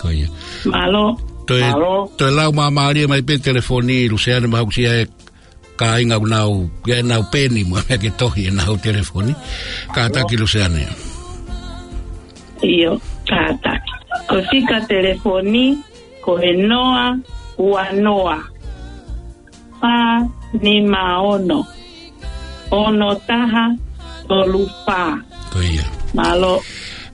Ko ia. Mālō. Toe, Mālō. Toe lau māmālie mai pē telefoni, Luseane, mahalo ʻoku ʻi ai e kāinga ʻoku nau, ʻi ai ʻenau peni mo e meʻa ke tohi ʻenau telefoni. Kātaki Luseane. ʻIo, kātaki. Ko e fika telefoni, ko e noa ua noa, fā nima ono, ono taha tolu fā. Ko ia. Mālō.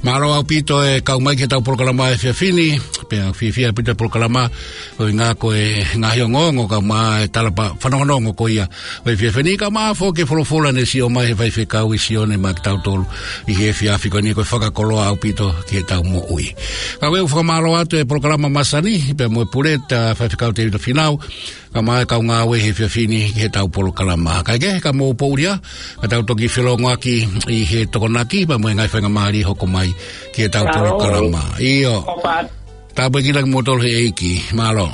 Mālō ʻaupito e kau mai ki heʻetau polokalama ʻo e efiafi ni. Pea fiefia ʻaupito e polokalama, ʻuhinga ko e ngaahi ongoongo kae ʻumaʻā e talapa fanongonongo ko ia ʻo e efiafi ni, kae ʻumaʻā foki e folofola ne sio mai he faifekau ʻi Sione maʻa kitautolu ʻi he efiafi ko eni, ko e fakakoloa ʻaupito ki heʻetau moʻui. Ka ʻoku ou fakamālō atu e polokalama masani, pea mo e pule ʻa Faifekau Tēvita Fīnau, kae ʻumaʻā e kau ngāue he efiafi ni ki heʻetau polokalama. Kae kehe, ka mou poʻuli ā, ka tau toki felōngoaki ʻi he Tokonaki, pea mo e ngaahi faingamālie hoko mai ki heʻetau polokalama. ʻIo. Tāpuekina kimoutolu he ʻEiki. Mālō.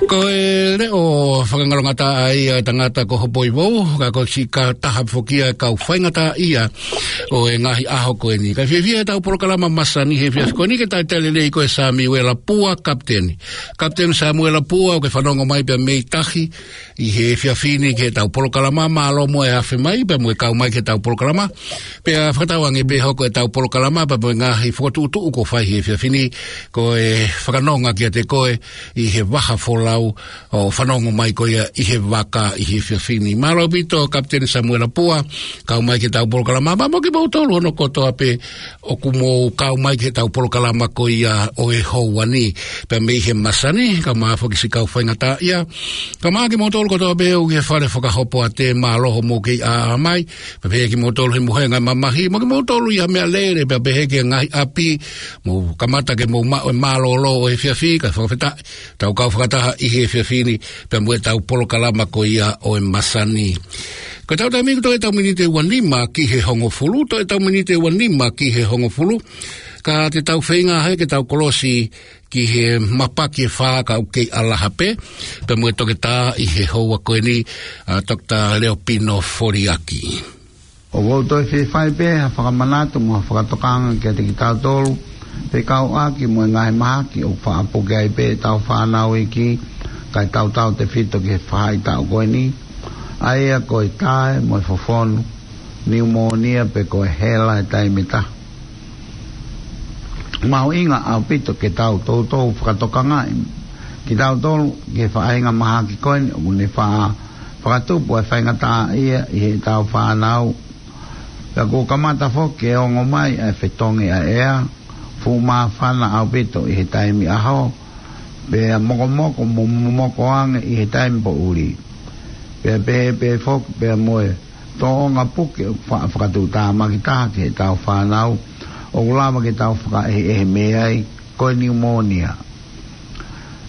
Ko e leʻo fakangalongataʻa ia ʻa e tangata ko Hopoivou, ka ko e siʻi taha foki ia e kau faingataʻaʻia ʻo e ngaahi ʻaho ko eni. Kae fiefia ʻetau polokalama masani he efiafi ko eni ke talitali lelei ko e Samiuela Pua, Kapiteni. Kapiteni Samiuela Pua, ʻoku ke fanongo mai pea mei tahi ʻi he efiafi ni ki heʻetau polokalama, mālō muʻa e afe mai pea mo e kau mai ki heʻetau polokalama. Pea fakatauange pē hoko ʻetau polokalama pea mo e ngaahi fokotuʻutuʻu kuo fai he efiafi ni, ko e fakanonga kiate koe ʻi he vaha folau ʻo fanongo mai ko ia ʻi he vaka ʻi he efiafi ni. Mālō ʻaupito Kapiteni Samiuela Pua, kau mai ki heʻetau polokalama, pea mo kimoutolu hono kotoa pē ʻoku mou kau mai ki heʻetau polokalama ko ia ʻo e houa ni, pea mei he masani, kae ʻumaʻā foki siʻi kau faingataʻaʻia, kae ʻumaʻā kimoutolu kotoa pē ʻoku ʻi he fale fakahopo ʻa te māloho mou kei ʻā mai, pea pehē kimoutolu he mohenga e mamahi, mo kimoutolu ʻi ha meʻalele, pea pehē ki he ngaahi ʻapi, mou kamata ke mou maʻu e mālōlō ʻo e efiafi, kae fakafetaʻi, tau kau fakataha ʻi he efiafi ni, pea mo ʻetau polokalama ko ia ʻo e masani. Ko ʻetau taimi ʻoku toe ʻetau miniti ʻe ua nima ki he hongofulu, toe ʻetau miniti ʻe ua nima ki he hongofulu, ka te tau feinga hake ke tau kolosi ki he mapaki ʻe fā ka ʻoku kei ʻalaha pē, pea mo e toketā ʻi he houa ko eni, ʻa Toketā Leopino Foliaki. ʻOku ou toe fie fai pē ha fakamanatu mo ha fakatokanga kiate kitautolu, fekauʻaki mo e ngaahi mahaki ʻoku faʻa puke ai pē ʻetau fānau iiki, kae tautautefito ki he faʻahitaʻu ko eni, ʻa ia ko e tae mo e fofonu, niumōnia pe ko e hela he taimi ʻe taha. Mahuʻinga ʻaupito ke tau toutou fakatokangaʻi kitautolu ki he faʻahinga mahaki ko eni ʻoku ne faʻa fakatupu ʻa e faingataʻaʻia ʻi heʻetau fānau. Pea kuo kamata foki ke ongo mai ʻa e fetongi ʻa e ʻea, fuʻu māfana ʻaupito ʻi he taimi ʻaho, pea mokomoko mo momoko ange ʻi he taimi poʻuli. Pea pehē pē foki pea mo e tōʻonga puke ʻoku faʻa fakatuʻutāmaki taha ki heʻetau fānau, ʻoku lava ke tau fakaʻehiʻehi mei ai, ko e niumōnia.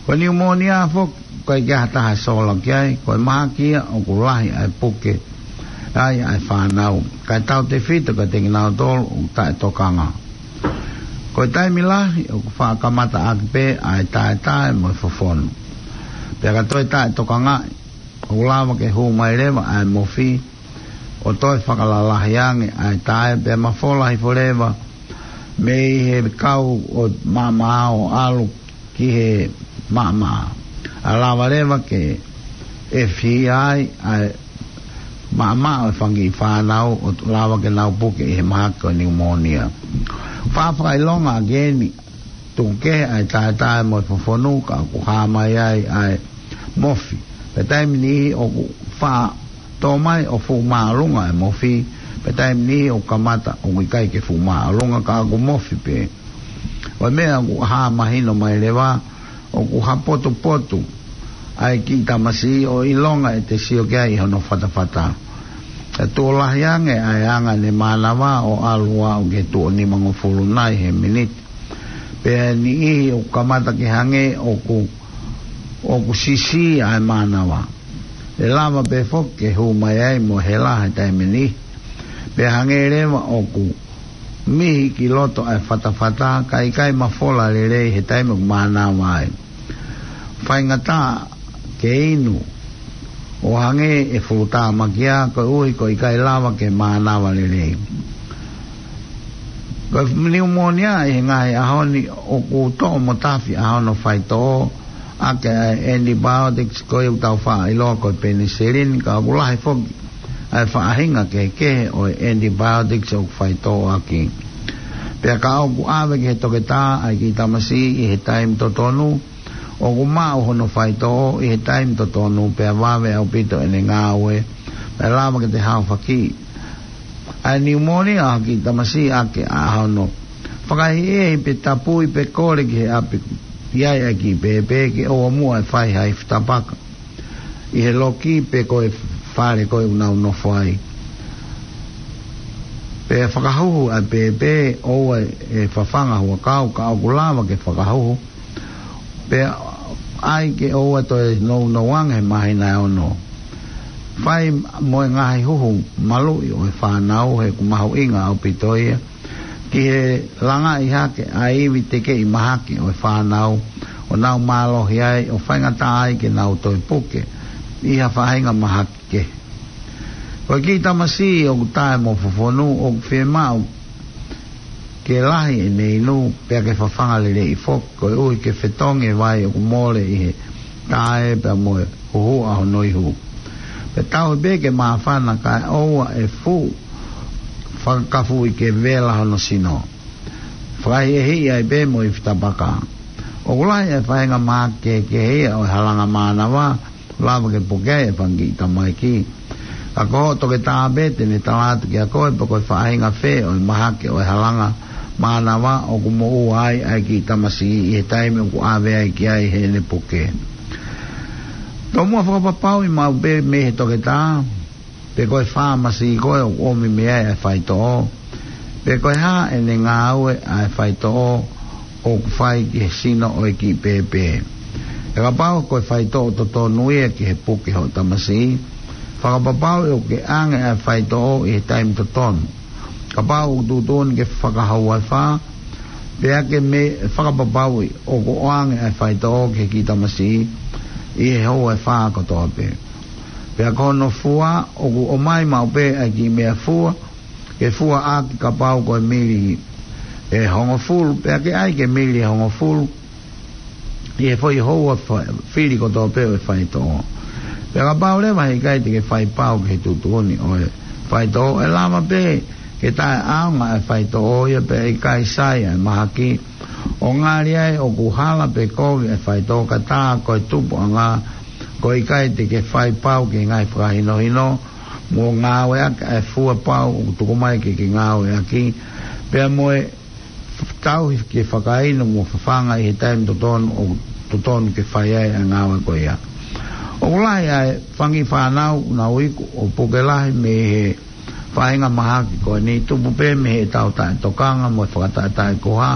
Ko e niumōnia foki, ʻoku ʻikai ke ʻi ai ha taha ʻe sola ki ai, ko e mahaki ia ʻoku lahi ʻa e puke ai ʻa e fānau, kae tautefito kiate kinautolu ʻoku taʻetokanga. Ko e taimi lahi ʻoku faʻa kamata ʻaki pē ʻa e taetae mo e fofonu. Pea ka toe taʻetokangaʻi, ʻoku lava ke hū mai leva ʻa e mofi, ʻo toe fakalalahi ange ʻa e tae, pea mafola hifo leva mei he kau ʻo maʻamaʻa ʻo ʻalu ki he maʻamaʻa. ʻA lava leva ke ʻefihia ai ʻa e maʻamaʻa ʻo e fanga kiʻi fānau ʻo lava ke nau puke ʻi he mahaki ko e niumōnia. Faʻa fakaʻilonga ʻaki eni, tuku kehe ʻa e taetae mo e fofonu ka ʻoku hā mai ai ʻa e mofi. Pea taimi niʻihi ʻoku faʻa tō mai ʻo fuʻu māʻolunga e mofi, pea taimi niʻihi ʻoku kamata ʻoku ʻikai ke fuʻu māʻolunga ka ʻoku mofi pē. ʻO e meʻa ʻoku hā mahino mai leva, ʻoku hapotupotu ʻa e kiʻi tamasiʻi ʻo ʻilonga ʻete sio ki ai ʻi hono fatafata. ʻE tuʻo lahi ange ʻa e anga ʻene mānava ʻo ʻalu ʻo aʻu ki he tuʻo nimangofulu nai he miniti. Pea niʻihi ʻoku kamata ke hangē ʻoku, ʻoku sisi ʻa e mānava. ʻE lava pē foki ke hū mai ai mo hela he taimi ni. Pea hangē leva ʻoku mihi ki loto ʻa e fatafata, ka ʻikai mafola lelei he taimi ʻoku mānava ai. Faingataʻa ke inu ʻo hangē ʻe fuʻu tāmakia koeʻuhi ko e ʻikai lava ke mānava lelei. Ko e niumōnia ʻi he ngaahi ʻaho ni ʻoku toʻo mo tafi ʻa hono faitoʻo ʻaki ʻa e antibiotics ko ia ʻoku tau faʻa ʻiloa ko e penicillin, ka ʻoku lahi foki ʻa e faʻahinga kehekehe ʻo e antibiotics ʻoku faitoʻo ʻaki. Pea ka ʻoku ʻave ki he toketā ʻa e kiʻi tamasiʻi ʻi he taimi totonu, ʻoku maʻu hono faitoʻo ʻi he taimi totonu pea vave ʻaupito ʻene ngāue, pea lava ke te haofaki ʻa e niumōnia ʻa e kiʻi tamasiʻi ʻaki ʻa hono fakaʻehiʻehi pe tapui pe kole ki he ʻapi ʻoku ʻi ai ʻa e kiʻi pēpē ke ʻoua muʻa ʻe fai ha ifi tapaka ʻi he loki pe ko e fale ko ē ʻoku nau nofo ai. Pea fakahuhu ʻa e pēpē, ʻoua ʻe fafanga huʻakau ka ʻoku lava ke fakahuhu. Pea ʻai ke ʻoua toe nounou ange he māhina ʻe ono. Fai mo e ngaahi huhu maluʻi ʻo e fānau he ʻoku mahuʻinga ʻaupito ia ki he langaʻi hake ʻa e ivi tekeʻi mahaki ʻo e fānau ʻo nau mālohi ai ʻo faingataʻa ai ke nau toe puke ʻi ha faʻahinga mahaki kehe. Ko e kiʻi tamasiʻi ʻoku taʻe mo fofonu ʻoku fiemaʻu ke lahi ʻene inu pea ke fafanga lelei foki koeʻuhi ke fetongi e vai ʻoku mole ʻi he tae pea mo e huhuʻa hono ihu. Pea tauhi pē ke māfana kae ʻoua ʻe fuʻu fakakafuʻi ke vela hono sino. Fakaʻehiʻehi ai pē mo e ifi tapaka. ʻOku lahi e faʻahinga mahaki kehekehe ia ʻo e halanga mānava, lava ke puke ai e fanga kiʻi tamaiki. Ka ko hoʻo toketā pē te ne tala atu kia koe pe ko e faʻahinga fē ʻo e mahaki ʻo e halanga mānava ʻoku moʻua ai ʻa e kiʻi tamasiʻi ʻi he taimi ʻoku ʻave ai ki ai heʻene puke. Tomuʻa fakapapauʻi maʻu pē mei he toketā, pe ko e fāmasi ko ē ʻoku ʻomi mei ai ʻa e faitoʻo, pe ko e hā ʻene ngāue ʻa e faitoʻo ʻoku fai ki he sino ʻo e kiʻi pēpē. Pea kapau ko e faitoʻo totonu ia ki he puke hoʻo tamasiʻi, fakapapauʻi ʻoku ke ʻange ʻa e faitoʻo ʻi he taimi totonu. Kapau ʻoku tuʻutuʻuni ke fakahoua ʻe fā, pea ke mei fakapapauʻi ʻoku ʻoange ʻa e faitoʻo ki he kiʻi tamasiʻi ʻi he houa ʻe fā kotoa pē. Pea ko hono fua, ʻoku ʻomai maʻu pē ʻa e kiʻi meʻafua ke fua ʻaki kapau ko e mili ʻe hongofulu, pea ke ʻai ke mili ʻe hongofulu ʻi he foʻi houa fa-, fili kotoa pē ʻo e faitoʻo. Pea kapau leva he ʻikai te ke fai pau ki he tuʻutuʻuni ʻo e faitoʻo, ʻe lava pē ke taʻeʻaonga e faitoʻo ia pea ʻikai sai ʻa e mahaki, ʻo ngali ai ʻoku hala pe kovi e faitoʻo ka tā ko e tupuʻanga, ko e ʻikai te ke fai pau ki he ngaahi fakahinohino mo ngāueʻaki ʻa e fua pau ʻoku tuku mai ke ke ngāueʻaki, pea mo e tauhi ke fakainu mo fafanga ʻi he taimi totonu ʻoku totonu ke fai ai ʻa e ngāue ko ia. ʻOku lahi ʻa e fanga kiʻi fānau ʻoku nau iku ʻo puke lahi mei he faʻahinga mahaki ko eni, tupu pē mei heʻetau taʻetokanga mo e fakataʻetaʻekuha.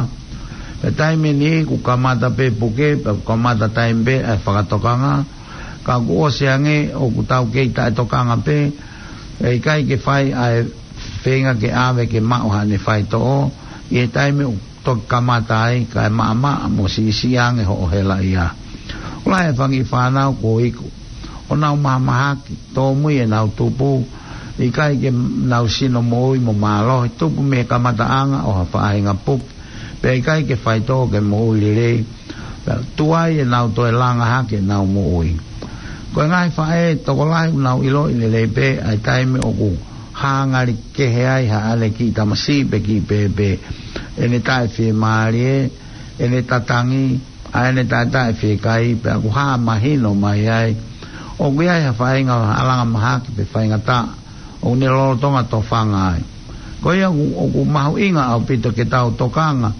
Pea taimi ʻe niʻihi ʻoku kamata pē puke, pea ʻoku kamata taimi pē ʻa e fakatokanga, ka kuo ʻosi ange ʻoku tau kei taʻetokanga pē, ʻe ʻikai ke fai ʻa e feinga ke ʻave ke maʻu haʻane faitoʻo ʻi he taimi ʻoku toki kamata ai, kae maʻamaʻa mo siʻisiʻi ange hoʻo helaʻia. ʻOku lahi e fanga kiʻi fānau kuo iku ʻo nau mahamahaki, tōmui ʻenau tupu, ʻikai ke nau sino moʻui mo mālohi, tupu mei he kamataʻanga ʻo ha faʻahinga puke, pea ʻikai ke faitoʻo ke moʻui lelei, pea tuai ʻenau toe langa hake ʻenau moʻui. Ko e ngaahi faʻē tokolahi ʻoku nau ʻiloʻi lelei pē ʻa e taimi ʻoku hā ngali kehe ai haʻane kiʻi tamasiʻi pe kiʻi pēpē, ʻene taʻefiemālie, ʻene tatangi, ʻa ʻene taʻetaʻefiekaia, pea ʻoku hā mahino mai ai ʻoku ʻi ai ha faʻahinga alanga mahaki pe faingataʻa ʻoku ne lolotonga tofanga ai. Ko ia ʻoku, ʻoku mahuʻinga ʻaupito ke tau tokanga,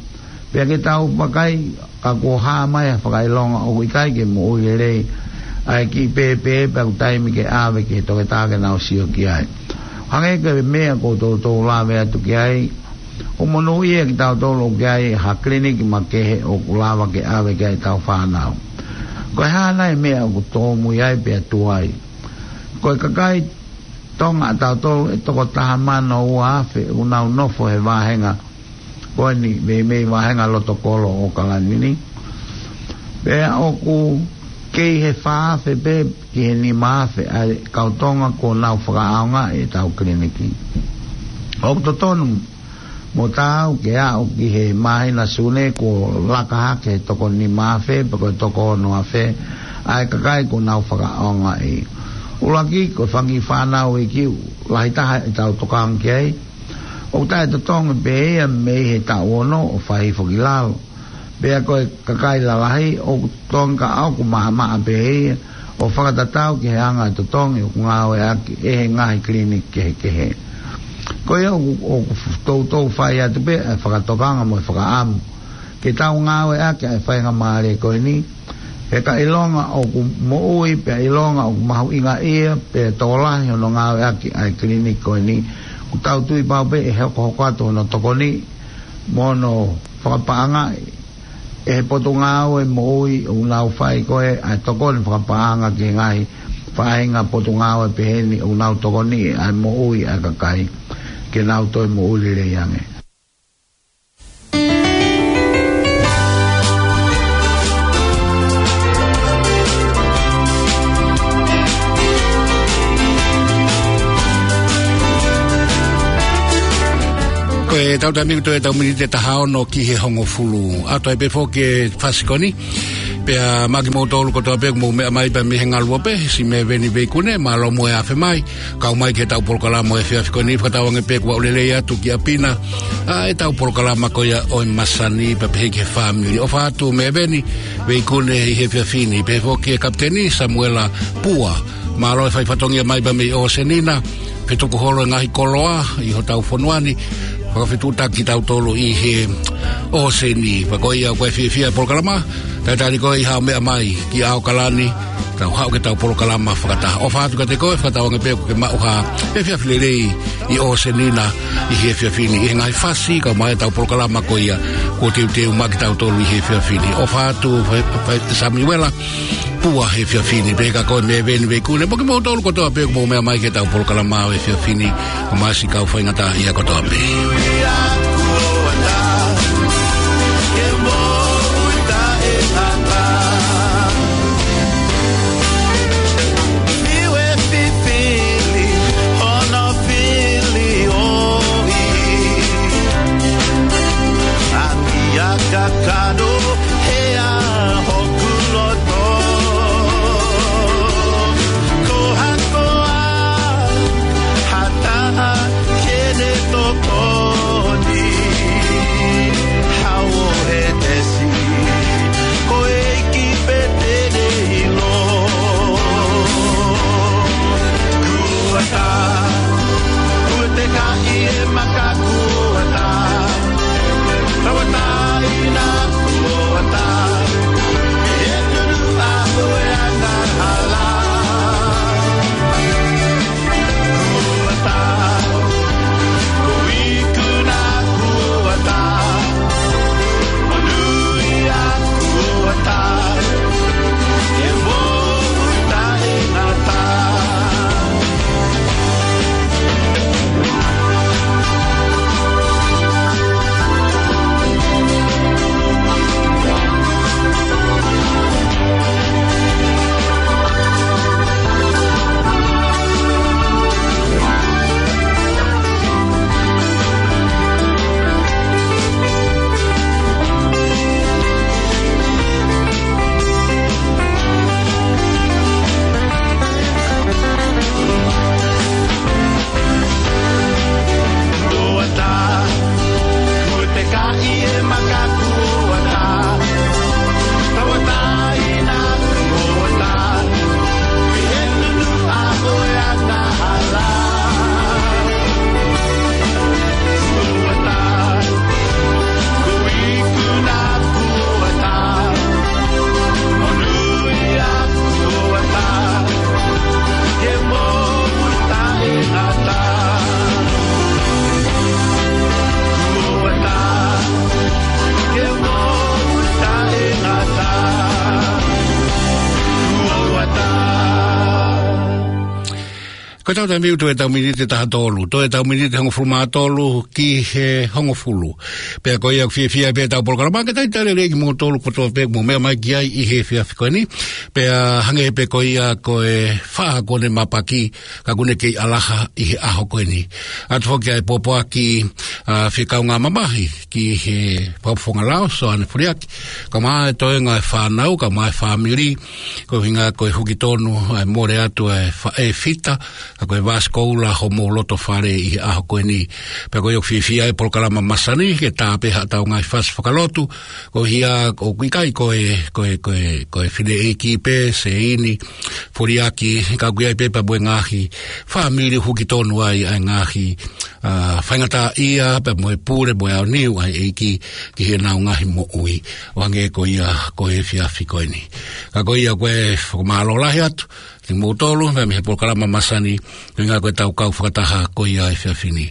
pea ke tau vakai ka kuo hā mai ha fakaʻilonga ʻoku ʻikai ke moʻui lelei ʻa e kiʻi pēpē, pea ʻoku taimi ke ʻave ki he toketā ke nau sio ki ai. Hangē ko e meʻa ʻoku ou toutou lave atu ki ai, ʻoku monūʻia kitautolu ʻoku ʻi ai ha kiliniki makehe ʻoku lava ke ʻave ki ai ʻetau fānau. Ko e hā nai e meʻa ʻoku tōmui ai pea tuai? Ko e kakai Tonga ʻatautolu ʻe toko taha mano ua afe ʻoku nau nofo he vāhenga ko eni, meimei vāhenga loto kolo ʻo ʻAokalani ni. Pea ʻoku kei he fā afe pē ki he nima afe ʻa e kau Tonga kuo nau fakaʻaongaʻi ʻetau kiliniki. ʻOku totonu mo taau ke aʻu ki he māhina Sune kuo laka hake he toko nima afe pe ko e toko ono afe ʻa e kakai kuo nau fakaʻaongaʻi. ʻUluaki, ko e fanga kiʻi fānau iiki, lahi taha ʻetau tokanga ki ai, ʻoku taʻetotongi pē ia mei he taʻu ono ʻo fai hifo ki lalo. Pea ko e kakai lalahi ʻoku tonga ʻoku maʻamaʻa pē ia ʻo fakatatau ki he anga e totongi ʻoku ngāueʻaki ʻe he ngaahi kiliniki kehekehe. Ko ia ʻoku, ʻoku toutou fai atu pē ʻa e fakatokanga mo e fakaʻamu ke tau ngāueʻaki ʻa e faingamālie ko eni, he ka ʻilonga ʻoku moʻui, pea ʻilonga ʻoku mahuʻingaʻia, pea tokolahi hono ngāueʻaki ʻa e kiliniki ko eni, ʻoku tau tui pau pē ʻe hokohoko atu hono tokoni mo hono fakapaʻangaʻi ʻe he Potungāue Moʻui ʻoku nau fai ko ē ʻa e tokoni fakapaʻanga ki he ngaahi faʻahinga potungāue peheni ʻoku nau tokoniʻi ʻa e moʻui ʻa e kakai ke nau toe moʻui lelei ange. Ko e tau taimi ko e tau miniti ʻe taha ono ki he hongofulu. ʻAto ai pē foki e fasi ko eni. Pea maʻa kimoutolu kotoa pē ʻoku mou meʻa mai pea mei he ngaluope, si Meveni Veikune, mālō mo e afe mai. Kau mai ki heʻetau polokalama ʻo e efiafi ko eni, fakatauange pē kuo aʻu lelei atu ki ʻapi na ʻa ʻetau polokalama ko ia ʻo e masani pea pehē ki he fāmili. ʻOfa atu Meveni Veikune ʻi he efiafi ni, pehē foki e Kapiteni Samuela Pua. Mālō e fai fatongia mai pea mei ʻOsenina, fetuku holo e ngaahi koloa ʻi hotau fonua ni, fakafetuʻutaki kitautolu ʻi he ʻōseni. Pea ko ia ko e fiefia e polokalama, talitali koe ʻi haʻo meʻa mai ki ʻAokalani, tau haʻu ki heʻetau polokalama fakataha. ʻOfa atu kiate koe, fakatauange pē kuo ke maʻu ha efiafi lelei ʻi ʻŌsenina ʻi he efiafi ni, ʻi he ngaahi fasi, kau mai ʻetau polokalama ko ia kuo teuteu maʻa kitautolu ʻi he efiafi ni. ʻOfa atu, fai, fai, Samiuela Pua he efiafi ni, pehē kia koe Meveni Veikune, mo kimoutolu kotoa pē ʻoku mou meʻa mai ki heʻetau polokalama ʻo e efiafi ni, ʻo masi kau faingataʻaʻia kotoa pē. Ko hakoa ha taha ke ne tokoni, hao he tesi, ko e ʻEiki pē te ne ʻilo. Kuata, kuo te kaʻi e maka kuata, tauʻatāina kuata. Ko ʻetau taimi ʻoku toe ʻetau miniti ʻe taha tolu, toe ʻetau miniti ʻe hongofulu mā tolu ki he hongofulu. Pea ko ia ʻoku fiefia pē ʻetau polokalama ke talitali lelei kimoutolu kotoa pē ʻoku mou meʻa mai ki ai ʻi he efiafi ko eni. Pea hangē pē ko ia ko e fā kuo ne mapaki, ka kuo ne kei ʻalaha ʻi he ʻaho ko eni. ʻOatu foki ʻa e pōpoaki, ʻa, fikaungāmamahi ki he fakafofonga lao, Soane Foliaki, kae ʻumaʻā e toenga e fānau, kae ʻumaʻā e fāmili, ko e ʻuhinga ko e huki tonu ʻa e mole atu ʻa e faʻē Fita, ka ko e vāsikoula homou loto fale ʻi he ʻaho ko eni. Pea ko ia ʻoku fiefia e polokalama masani ke tā pē haʻatau ngaahi fasi fakalotu, ko ia ʻoku ʻikai ko e, ko e, ko e, ko e fineʻeiki pē, Seini Foliaki, ka ʻoku ʻi ai pē pea mo e ngaahi fāmili huki tonu ai ʻa e ngaahi, ʻa, faingataʻaʻia, pea mo e pule, mo e aoniu ʻa e ʻEiki ki heʻenau ngaahi moʻui. ʻO hangē ko ia ko e efiafi ko eni. Ka ko ia ko e fakamālō lahi atu kimoutolu, pea mei he polokalama masani, ko e ʻuhinga ko ʻetau kau fakataha ko ia he efiafi ni.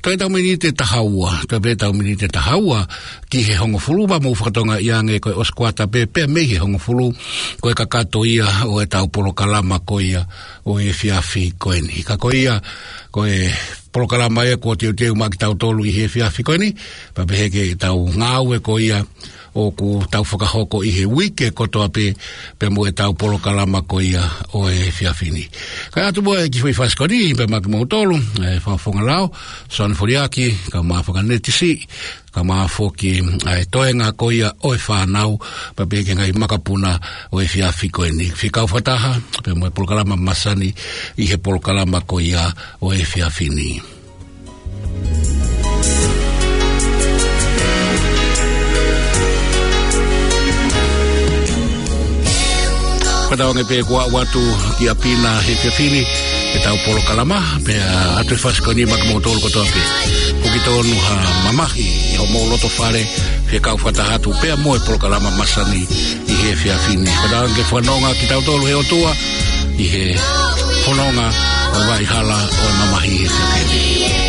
Toe ʻetau miniti ʻe taha ua, toe pē ʻetau miniti ʻe taha ua ki he hongofulu, pea mou fakatokangaʻi ange ko e ʻosi kuata pē, pea mei he hongofulu, ko e kakato ia ʻo ʻetau polokalama ko ia ʻo e efiafi ko eni. Ka ko ia, ko e polokalama ia kuo teuteu maʻa kitautolu ʻi he efiafi ko eni, pea pehē ki heʻetau ngāue ko ia ʻoku tau fakahoko ʻi he uike kotoa pē, pea mo ʻetau polokalama ko ia ʻo e efiafi ni. Kae ʻoatu muʻa e kiʻi foʻi fasi ko eni, pea maʻa kimoutolu, ʻa e fakafofonga lao, Soane Foliaki, kae ʻumaʻā Fakaneti Siʻi, kae ʻumaʻā foki ʻa e toenga ko ia ʻo e fānau, pea pehē ki he ngaahi makapuna ʻo e efiafi ko eni. Fie kau fakataha pea mo e polokalama masani ʻi he polokalama ko ia ʻo e efiafi ni. Fakatauange pē kuo aʻu atu ki ʻapi na he efiafi ni ʻetau polokalama, pea ʻoatu e fasi ko eni maʻa kimoutolu kotoa pē. Huki tonu ha mamahi ʻi homou loto fale, fie kau fakataha atu pea mo e polokalama masani ʻi he efiafi ni. Fakatauange ke fononga kitautolu he ʻOtua ʻi he fononga ʻo e vaʻa hala ʻo e mamahi he efiafi ni.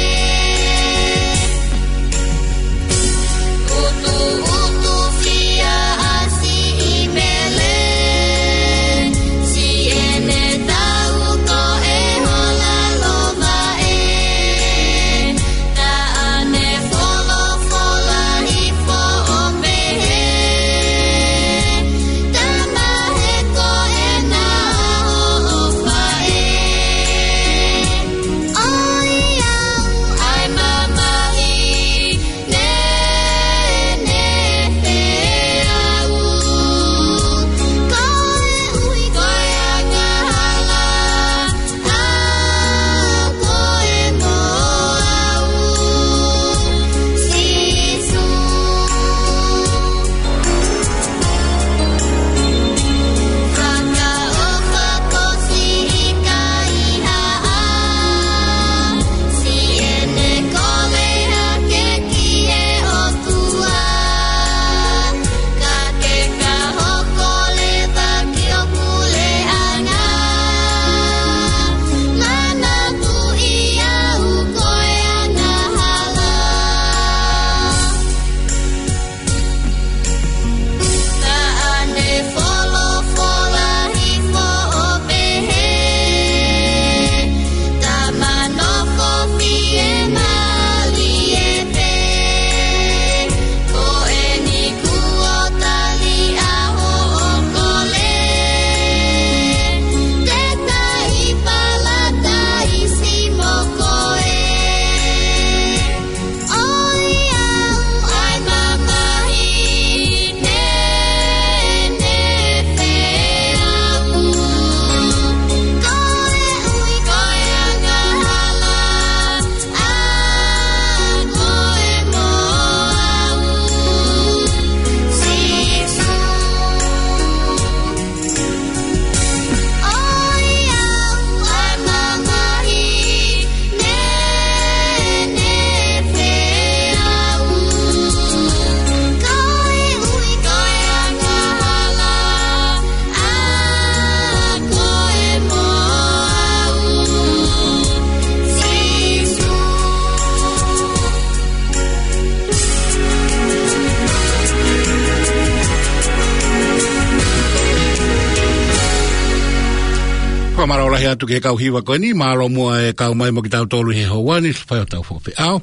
Fakamālō lahi atu ki he kau hiva ko eni, mālō muʻa e kau mai mo kitautolu he houa ni, fai ʻetau fakafeʻao.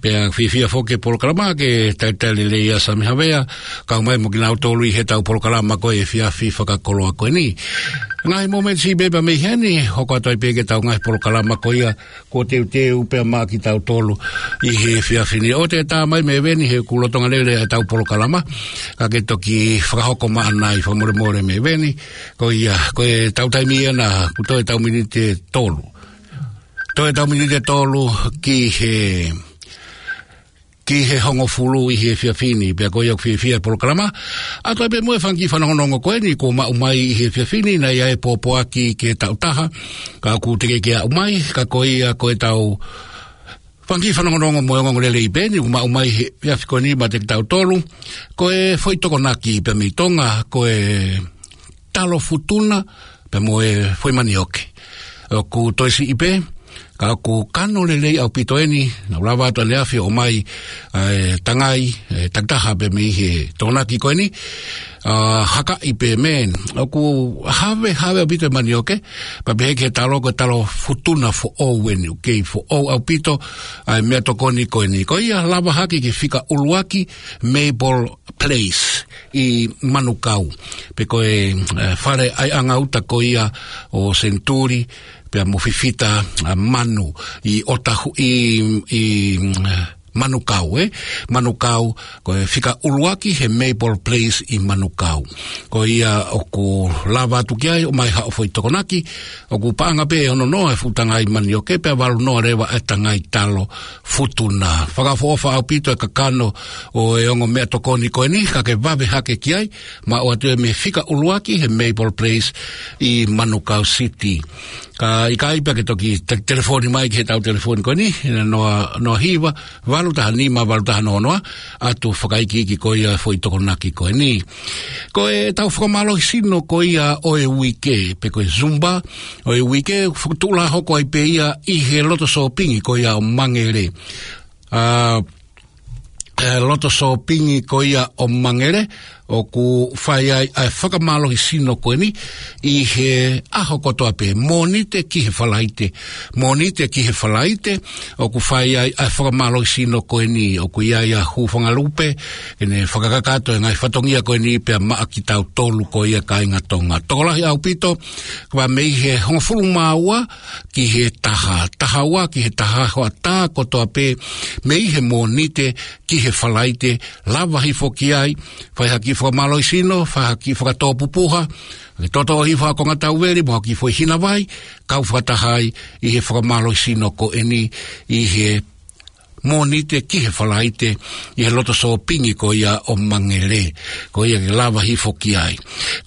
Pea fiefia foki e polokalama ke talitali lelei ʻa Sami Havea, kau mai mo kinautolu ʻi heʻetau polokalama ko e efiafi fakakoloa ko eni. Ngaahi momeniti pē pea mei heni, hoko atu ai pē ki heʻetau ngaahi polokalama ko ia, kuo teuteu pea maʻa kitautolu ʻi he efiafi ni. ʻOua te tā mai Meveni he ʻoku lolotonga lele ʻetau polokalama, ka ke toki fakahoko maʻana ʻi he fakamolemole Meveni. Ko ia, ko ʻetau taimi ena, kuo toe ʻetau miniti ʻe tolu. Toe ʻetau miniti ʻe tolu ki he, ki he hongofulu ʻi he efiafi ni, pea ko ia ʻoku fiefia e polokalama. ʻA ia pea mo e fanga kiʻi fanongonongo ko eni kuo maʻu mai ʻi he efiafi ni, naʻe ʻi ai e pōpoaki ke tau taha, ka ʻoku teʻeki ke aʻu mai, ka ko ia ko ʻetau fanga kiʻi fanongonongo mo e ongoongolelei pē eni kuo maʻu mai he efiafi ko eni maʻa kitautolu. Ko e foʻi tokonaki pea mei Tonga, ko e talo futuna, pea mo e foʻi manioke. ʻOku toe siʻi pē, ka ʻoku kano lelei ʻaupito eni, naʻa ku lava atu ʻaneafi ʻo ʻomai, ʻa e tangai, e takitaha pē mei he tokonaki ko eni, ʻa, hakaʻi pē mei heni. ʻOku havehave ʻaupito e manioke, pea pehē ki he talo ko e talo futuna foʻou eni, ʻoku kei foʻou ʻaupito, ʻa e meʻatokoni ko eni. Ko ia lava hake ki he fika ʻuluaki Maple Place ʻi Manukau. Pe ko e, e, fale ʻaiʻanga uta ko ia ʻo Senituli, pea mo Fifita, ʻa, Manu, ʻi ʻOtahu, ʻi, ʻi, mm, Manukau, ē? Manukau, ko e fika ʻuluaki he Maple Place ʻi Manukau. Ko ia ʻoku lava atu ki ai, ʻomai haʻo foʻi tokonaki, ʻoku paʻanga pē ʻe ono noa e fuʻu tangai manioke, pea valu noa leva e tangai talo futuna. Fakaʻofoʻofa ʻaupito e kakano ʻo e ongo meʻatokoni ko eni, ka ke vave hake ki ai, maʻu atu ia mei he fika ʻuluaki he Maple Place ʻi Manukau City. Ka ʻikai pea ke toki te-, telefoni mai ki heʻetau telefoni ko eni, ʻi he noa, noa hiva, valu taha nima, valu taha noa noa, ʻo fakaikiiki ko ia e foʻi tokonaki ko eni. Ko ʻetau fakamālohisino ko ia ʻo e uike, pe ko e Zumba ʻo e uike, fokotuʻu lā hoko ai pē ia ʻi he loto sōpingi ko ia ʻo Mangere. ʻA, e loto sōpingi ko ia ʻo Mangere, ʻoku fai ai ʻa e fakamālohisino ko eni ʻi he ʻaho kotoa pē, Mōnite ki he Falaite, Mōnite ki he Falaite, ʻoku fai ai ʻa e fakamālohisino ko eni, ʻoku ʻi ai ʻa Hūfangalupe, ke ne fakakakato e ngaahi fatongia ko eni pea maʻa kitautolu ko ia kāinga Tonga. Tokolahi ʻaupito, ka mei he hongofulu mā ua ki he taha, taha ua ki he taha, hoʻatā kotoa pē, mei he Mōnite ki he Falaite, lava hifo ki ai, fai ha kiʻi fakamālohisino, fai ha kiʻi fakatōpupuha, ke toʻotoʻo hifo ha konga tauveli, mo ha kiʻi foʻi hina vai, kau fakataha ai ʻi he fakamālohisino ko eni, ʻi he Mōnite ki he Falaite, ʻi he loto sōpingi ko ia ʻo Mangere, ko ia ke lava hifo ki ai.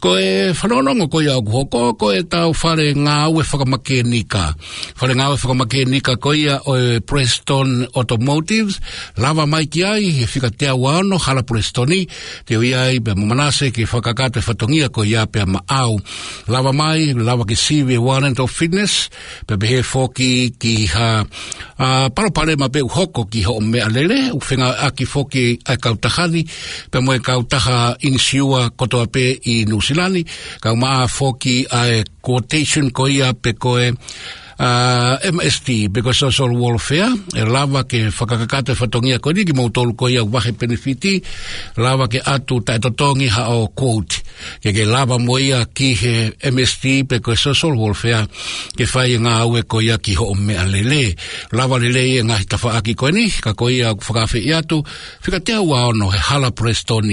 Ko e fanongonongo ko ia ʻoku hoko, ko ʻetau fale ngāue fakamākenika. Fale ngāue fakamākenika ko ia ʻo e Preston Automotives, lava mai ki ai, he fika teau ua ono, Hala Preston, te u ʻi ai pea mo Manase ke fakakakato e fatongia ko ia pea maʻau. Lava mai, lava ke sivi e warrant of fitness, pea pehē foki ki ha, ʻa, palopalema pē ʻoku hoko ki hoʻo meʻalele, ʻoku fengāueʻaki foki ʻa e kautaha ni, pea mo e kautaha inisiua kotoa pē ʻi Nuʻusila ni, kae ʻumaʻā foki ʻa e quotation ko ia pe ko e, ʻa, M S T, pe ko e social welfare, ʻe lava ke fakakakato e fatongia ko eni kimoutolu ko ia vahe penefiti, lava ke ʻatu taʻetotongi haʻo quote. Ke ke lava mo ia ki he M S T pe ko e social welfare, ke fai e ngāue ko ia ki hoʻo meʻalele. Lava lelei e ngaahi tafaʻaki ko eni, ka ko ia ʻoku fakaafeʻi atu, fika teau ua ono he Hala Preston.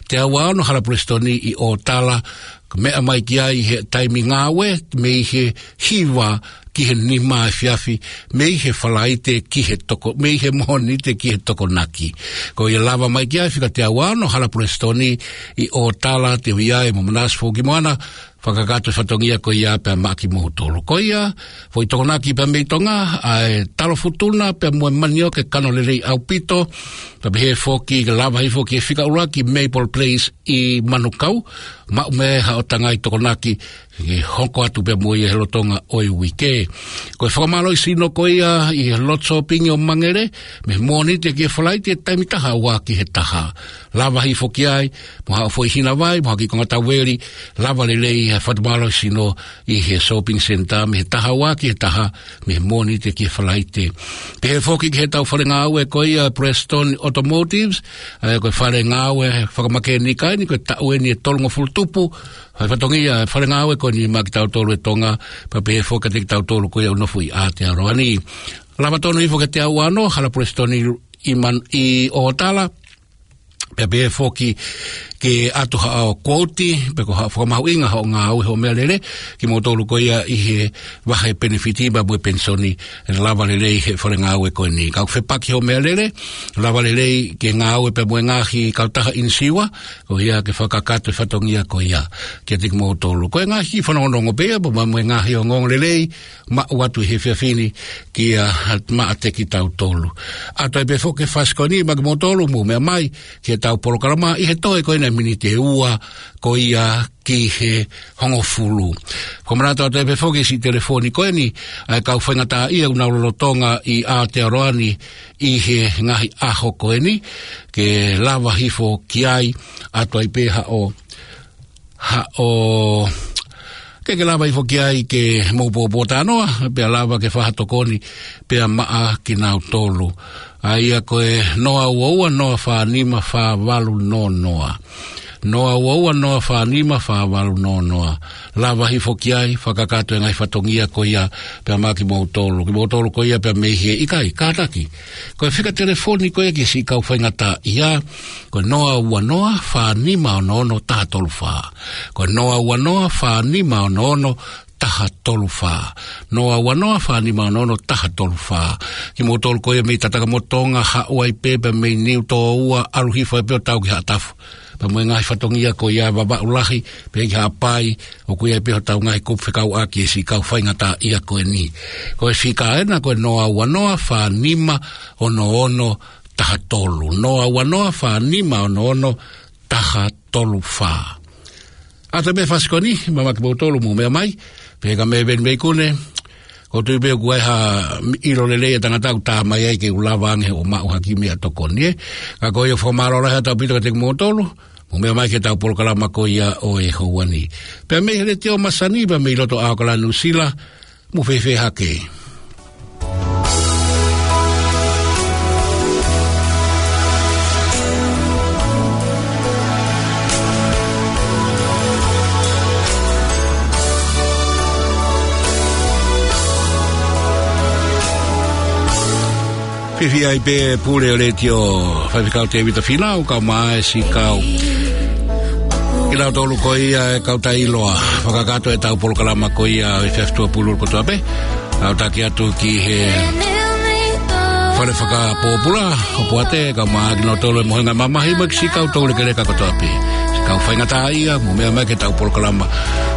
Teau ua ono Hala Preston ʻi ʻŌtala, ka meʻa mai ki ai he taimi ngāue, mei he hiva ki he nima efiafi, mei he Falaite ki he toko, mei he Mōnite ki he Tokonaki. Ko ia lava mai ki ai fika teau ua ono Hala Preston ʻi ʻŌtala, te u ʻi ai mo Manase Fukimoana, fakakakato e fatongia ko ia pea maʻa kimoutolu. Ko ia, foʻi tokonaki pea mei Tonga, ʻa e talo futuna pea mo e manioke kano lelei ʻaupito, pea pehē foki ke lava hifo ki he fika ʻuluaki Maple Place ʻi Manukau, maʻu mei ai haʻo tangai tokonaki, ke hoko atu pea mo ia he lolotonga ʻo e uike. Ko e fakamālohisino ko ia ʻi he loto sōpingi ʻo Mangere, mei he Mōnite ki he Falaite taimi taha ua ki he taha. Lava hifo ki ai, mo haʻo foʻi hina vai, mo ha kiʻi konga tauveli, lava lelei e fakamālohisino ʻi he shopping centre mei he taha ua ki he taha, mei he Mōnite ki he Falaite. Pehē foki ki heʻetau fale ngāue ko ia Preston Automotives, ʻa ia ko e fale ngāue fakamakēnika eni, ko e taʻu eni ʻe tolungofulu tupu, ʻa e fatongia e fale ngāue ko eni maʻa kitautolu ʻi Tonga, pea pehē foki kiate kitautolu ko ia ʻoku nofo ʻi Aotearoa ni. Lava tonu hifo kiate au ʻa hono hala Preston ʻi, ʻi Man-, ʻi ʻOtala, pea pehē foki ke ʻatu haʻo quote, pe ko haʻo fakamahuʻinga hoʻo ngāue hoʻo meʻalele, kimoutolu ko ia ʻi he vahe penefiti pea mo e penisoni, lava lelei he fale ngāue ko eni. Ka ʻoku fepaki hoʻo meʻalele, lava lelei ke ngāue pea mo e ngaahi kautaha ʻinisiua, ko ia ke fakakakato e fatongia ko ia kiate kimoutolu. Ko e ngaahi fanongonongo pē ia, pea mo e ngaahi ongoongolelei, maʻu atu he efiafi ni kia maʻa kitautolu. ʻAtu ai pē foki e fasi ko eni maʻa kimoutolu, mou meʻa mai ki heʻetau polokalama ʻi he toe ko ena miniti ʻe ua ko ia ki he hongofulu. Ko e manatu atu ai pē foki siʻi telefoni ko eni ʻa e kau faingataʻaʻia ʻoku nau lolotonga ʻi Aotearoa ni ʻi he ngaahi ʻaho ko eni, ke lava hifo ki ai, ʻatu ai pē haʻo haʻo, ke ke lava hifo ki ai ke mou pōpōtalanoa, pea lava ke fai ha tokoni pea maʻa kinautolu. ʻA ia ko e noa ua ua noa fā nima fā valu noa noa. Noa ua ua noa fā nima fā valu noa noa. Lava hifo ki ai, fakakakato e ngaahi fatongia ko ia pea maʻa kimoutolu. Kimoutolu ko ia pea mei he ʻikai, kātaki. Ko e fika telefoni ko ia ki siʻi kau faingataʻaʻia, ko e noa ua noa fā nima ono ono taha tolu fā. Ko e noa ua noa fā nima ono ono taha tolu fā. Noa ua noa fā nima ono ono taha tolu fā. Kimoutolu ko ia mei Tatakamotonga, haʻu ai pē pea mei Niutōua, ʻalu hifo ai pē ʻo tau ki Haʻatafu. Pea mo e ngaahi fatongia ko ia Vavaʻu Lahi, pea ki Haʻapai, ʻoku ʻi ai pē hotau ngaahi kupu fekauʻaki e siʻi kau faingataʻaʻia ko eni. Ko e fika ena ko e noa ua noa fā nima ono ono taha tolu. Noa ua noa fā nima ono ono taha tolu fā. ʻAtu ai pē fasi ko eni, maʻa kimoutolu, mou meʻa mai, pea ka mei Veni Veikune, ʻoku ou tui pē ʻoku ʻi ai ha ʻilo lelei e tangata ʻoku tā mai ai ke u lava ange ʻo maʻu ha kiʻi meʻatokoni, ē. Ka ko ia, fakamālō lahi atu ʻaupito kiate kimoutolu, mou meʻa mai ki heʻetau polokalama ko ia ʻo e houa ni. Pea mei he Letiō Masani, pea mei loto ʻAokalani Nuʻusila, mou fēfē hake? Fiefia ai pē Pule ʻo e Letiō, Faifekau Tēvita Fīnau, kae ʻumaʻā e siʻi kau, kinautolu ko ia e kau taʻeʻiloa, fakakakato ʻetau polokalama ko ia ʻo e efiafi Tuʻapululu kotoa pē. ʻOku taki atu ki he Fale Fakapōpula ʻo Poate, kae ʻumaʻā kinautolu e Mohenga Mamahi mo e siʻi kau toulekeleka kotoa pē. Siʻi kau faingataʻaʻia, mou meʻa mai ki heʻetau polokalama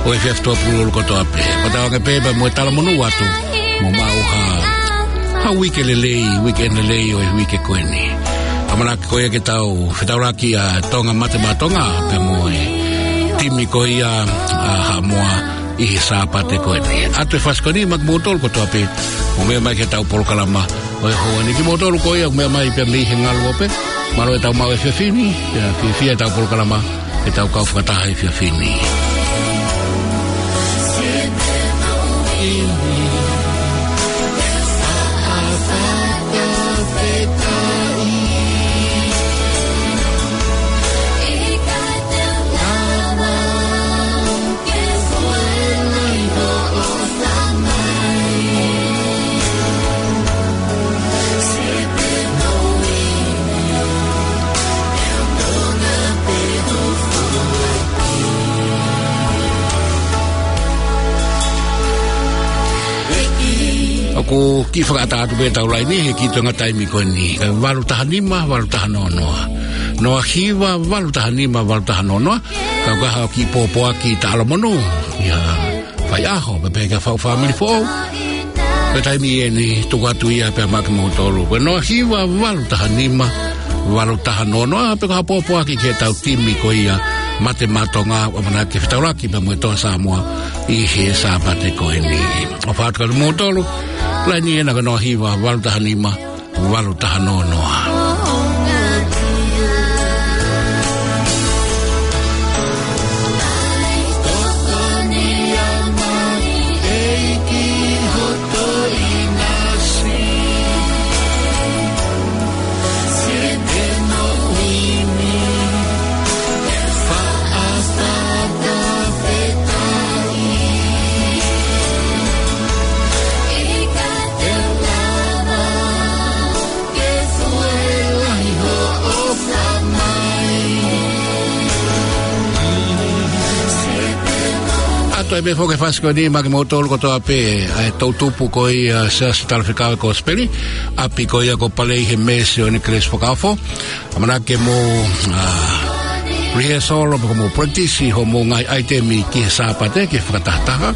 ʻo e efiafi Tuʻapululu kotoa pē. Fakatauange pē pea mo e talamonū atu, mou maʻu ha, ha uike lelei, uike lelei ʻo e uike ko eni. ʻAmanaki ko ia ke tau fetaulaki ʻa Tonga Mate Maʻa Tonga, pea mo e timi ko ia ʻa Haʻamoa ʻi he Sāpate ko eni. ʻAtu e fasi ko eni maʻa kimoutolu kotoa pē, mou meʻa mai ki heʻetau polokalama ʻo e houa ni. Kimoutolu ko ia ʻoku meʻa mai pea mei he ngaluope, mālō ʻetau maʻu e efiafi ni, pea fiefia ʻetau polokalama, ʻetau kau fakataha he efiafi ni. ʻOku kiʻi fakaʻatā atu pē ʻetau laini he kiʻi toenga taimi ko eni. Ko e valu taha nima, valu taha noa noa. Noa hiva, valu taha nima, valu taha noa noa. Ka ʻoku ʻi ai haʻo kiʻi pōpoaki talamonū, ʻi ha faiʻaho, pe pehē ki ha faʻu fāmili foʻou, ko e taimi eni tuku atu ia pea maʻa kimoutolu. Ko e noa hiva, valu taha nima, valu taha noa noa, pe ko ha pōpoaki ki heʻetau timi ko ia Mate Maʻa Tonga, ʻoku ʻamanaki ke fetaulaki pea mo e Toa Samoa ʻi he Sāpate ko eni. ʻOfa atu kiate kimoutolu, laini ena ko e noa hiva, valu taha nima, valu taha noa noa. Toe pē foki e fasi ko eni maʻa kimoutolu kotoa pē, ʻa e toʻutupu ko ia ʻa e Siasi Talafekau Kosipeli, ʻapi ko ia ko Palei he Mesioni Kelesi Fakaofo. ʻAmanaki ke mou, ʻa, rehearsal pe ko mou practice hoʻomou ngaahi ʻaitemi ki he Sāpate, ki he fakatahataha.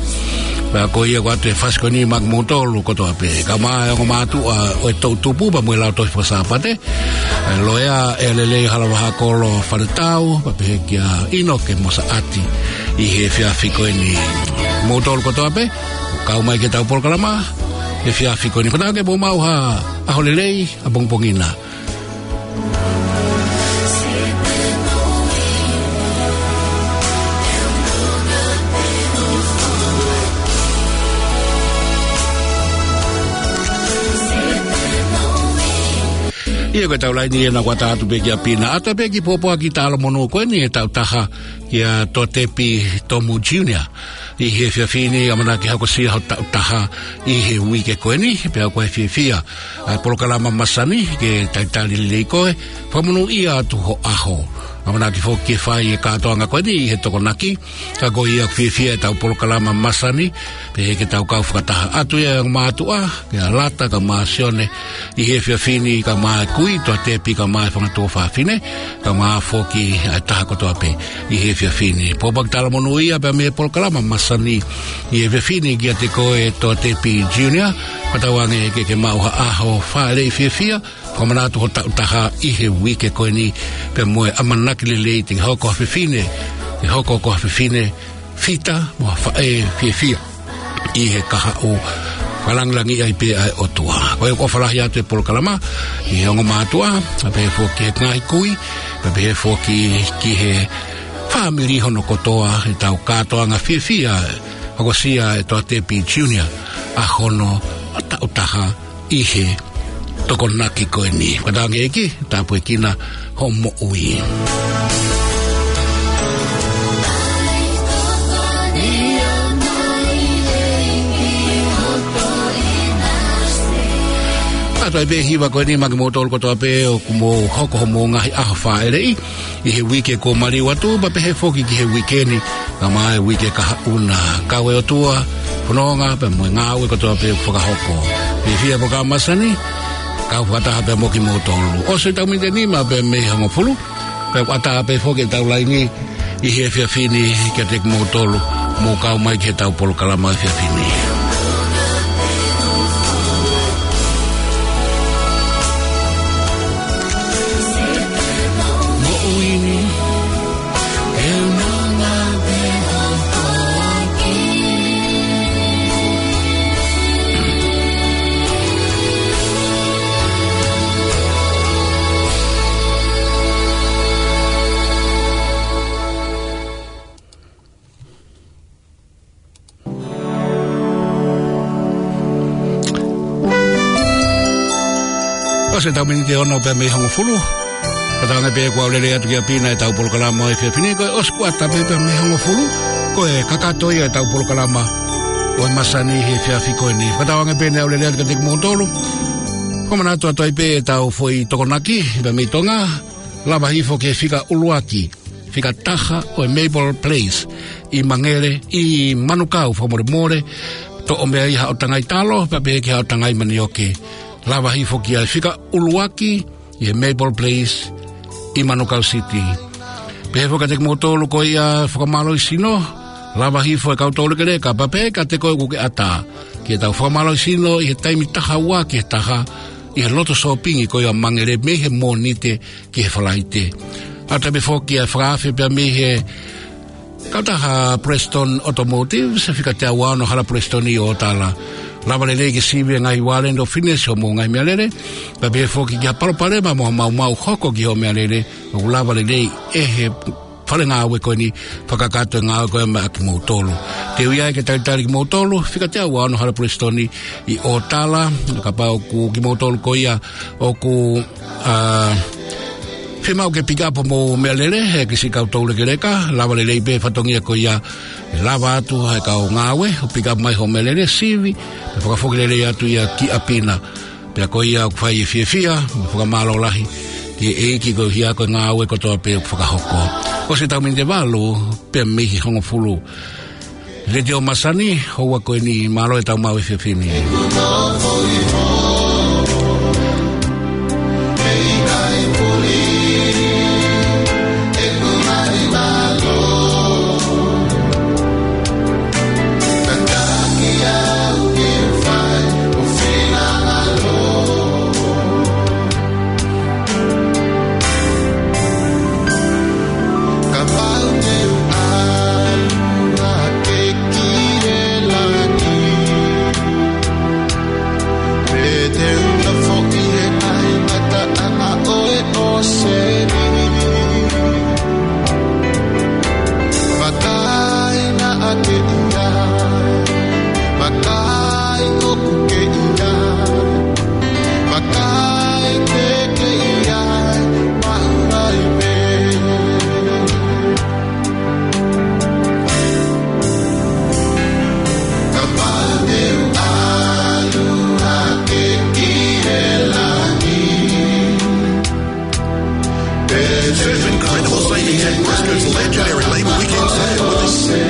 Pea ko ia ko atu e fasi ko eni maʻa kimoutolu kotoa pē. Kae ʻumaʻā e ongo mātuʻa ʻo e toʻutupu pea mo e lautohi faka-Sāpate. ʻA e loea ʻa Lelei Halavahakolo Faletau, pea pehē kia ʻInoke Mosaʻati ʻi he efiafi ko eni. Moutolu kotoa pē, kau mai ki heʻetau polokalama he efiafi ko eni. Fakatauange ke mou maʻu ha ʻaho lelei ʻapongipongi na. ʻIo, ko ʻetau laini ena kuo ʻatā atu pē kia Pina. ʻAtā pē kiʻi pōpoaki talamonū ko eni ʻe taʻu taha kia Toatepi Tomu Junior. ʻI he efiafi ni ʻamanaki ke hokosia hoʻo taʻu taha ʻi he uike ko eni, pea ʻoku ou fiefia ʻa e polokalama masani ke talitali lelei koe, fakamonūʻia atu ho ʻaho. ʻAmanaki foki ke fai e kātoanga ko eni ʻi he Tokonaki, ka ko ia ʻoku fiefia ʻetau polokalama masani, pehē ke tau kau fakataha atu ia e ongo mātuʻa, kia Lata kae ʻumaʻā Sione, ʻi he efiafi ni kae ʻumaʻā e kui Toatepi kae ʻumaʻā e fanga tuofāfine, kae ʻumaʻā foki ʻa e taha kotoa pē ʻi he efiafi ni. Pōpoaki talamonū ia pea mei he polokalama masani ʻi he efiafi ni kiate koe Toatepi Junior, fakatauange ke ke maʻu ha ʻaho fāʻeleʻi fiefia, fakamanatu hoʻo taʻu taha ʻi he uike ko eni, pea mo e ʻamanaki lelei te ke hoko ha fefine, ke hoko ko ha fefine fita mo ha faʻē fiefia ʻi he kahaʻu, fakalangilangiʻi ai pē ʻa e ʻOtua. Ko ia ʻoku ʻofa lahi atu e polokalama ki he ongo mātuʻa, pea pehē foki ki he ngaahi kui, pea pehē foki ki he fāmili hono kotoa, ʻetau kātoanga fiefia, hokosia ʻe Toatepi Junior ʻa hono taʻu taha ʻi he Tokonaki ko eni. Fakatauange ʻEiki, tāpuekina hoʻo moʻui. ʻAtā pē e hiva ko eni maʻa kimoutolu kotoa pē ʻoku mou hoko hoʻomou ngaahi ʻaho fāʻeleʻi ʻi he uike kuo maliu atu, pea pehē foki ki he uike ni, kae ʻumaʻā e uike kahaʻu na. Kau e ʻOtua, fononga pea mo e ngāue kotoa pē ʻoku fakahoko. Fiefia polokalama masani, kau fakataha pea mo kimoutolu. ʻOsi ʻetau miniti ʻe nima pea mei he hongofulu, pea ʻoku ʻatā pē foki ʻetau laini ʻi he efiafi ni kiate kimoutolu, mou kau mai ki heʻetau polokalama efiafi ni. Moʻui ni, ʻe unanga pē hoʻo foaki. ʻOsi ʻetau miniti ʻe ono pea mei he hongofulu. Fakatauange pē kuo lelei atu kia Pina ʻetau polokalama ʻo e efiafi ni, ko e ʻosi kuo ʻatā pē pea mei he hongofulu. Ko e kakato ia ʻetau polokalama ʻo e masani he efiafi ko eni. Fakatauange pē naʻa lelei atu kiate kimoutolu. Fakamanatu atu ai pē ʻetau foʻi Tokonaki pea mei Tonga. Lava hifo ki he fika ʻuluaki, fika taha ʻo e Maple Place ʻi Mangele, ʻi Manukau, fakamolemole, toʻo mei ai haʻo tangai talo, pea pehē ki haʻo tangai manioke. Lava hifo ki he fika ʻuluaki ʻi he Maple Place ʻi Manukau City. Pehē foki kiate kimoutolu ko ia fakamālohisino, lava hifo e kau toulekeleka, pea pehē kiate koe ʻoku ke ʻatā ki heʻetau fakamālohisino ʻi he taimi taha ua ki he taha, ʻi he loto sōpingi ko ia Mangele mei he Mōnite ki he Falaite. ʻAtā pē foki ʻa e fakaafe pea mei he kautaha Preston Automotive, ʻi he fika teau ono Hala Preston ʻi ʻOtala. Lava lelei ke sivi e ngaahi warrant of fitness hoʻomou ngaahi meʻalele, pea pehē foki ki ha palopalema mo ha maumau hoko ki hoʻo meʻalele, ʻoku lava lelei ʻe he fale ngāue ko eni fakakakato e ngāue ko ia maʻa kimoutolu. Te u ʻi ai ke talitali kimoutolu, fika teau ono Hala Preston ʻi ʻOtala, kapau ʻoku kimoutolu ko ia ʻoku, ʻa, fiemaʻu ke pick up hoʻomou meʻalele, he kiʻi siʻi kau toulekeleka, lava lelei pē fatongia ko ia, ʻe lava atu ʻe he kau ngāue ʻo pick up mai hoʻo meʻalele, sivi, pea fakafoki lelei atu ia kia Pina. Pea ko ia ʻoku fai e fiefia mo e fakamālō lahi ki he ʻEiki koeʻuhi ko e ngāue kotoa pē ʻoku fakahoko. ʻOsi ʻetau miniti ʻe valu pea mei he hongofulu. Letiō Masani, houa ko eni, mālō e tau maʻu he efiafi ni. Kapau te u ʻalu hake ki he langi, pe te u nofoʻi he ʻaingataʻa ʻo e ʻōseni, vakai naʻa ke ʻi ai, vakai ʻoku ke ʻi ai, vakai te ke ʻi ai, maʻu ai pē. Kapau te u ʻalu hake ki he langi. There's incredible safety tech West Coast legendary Labour Weekend sale with the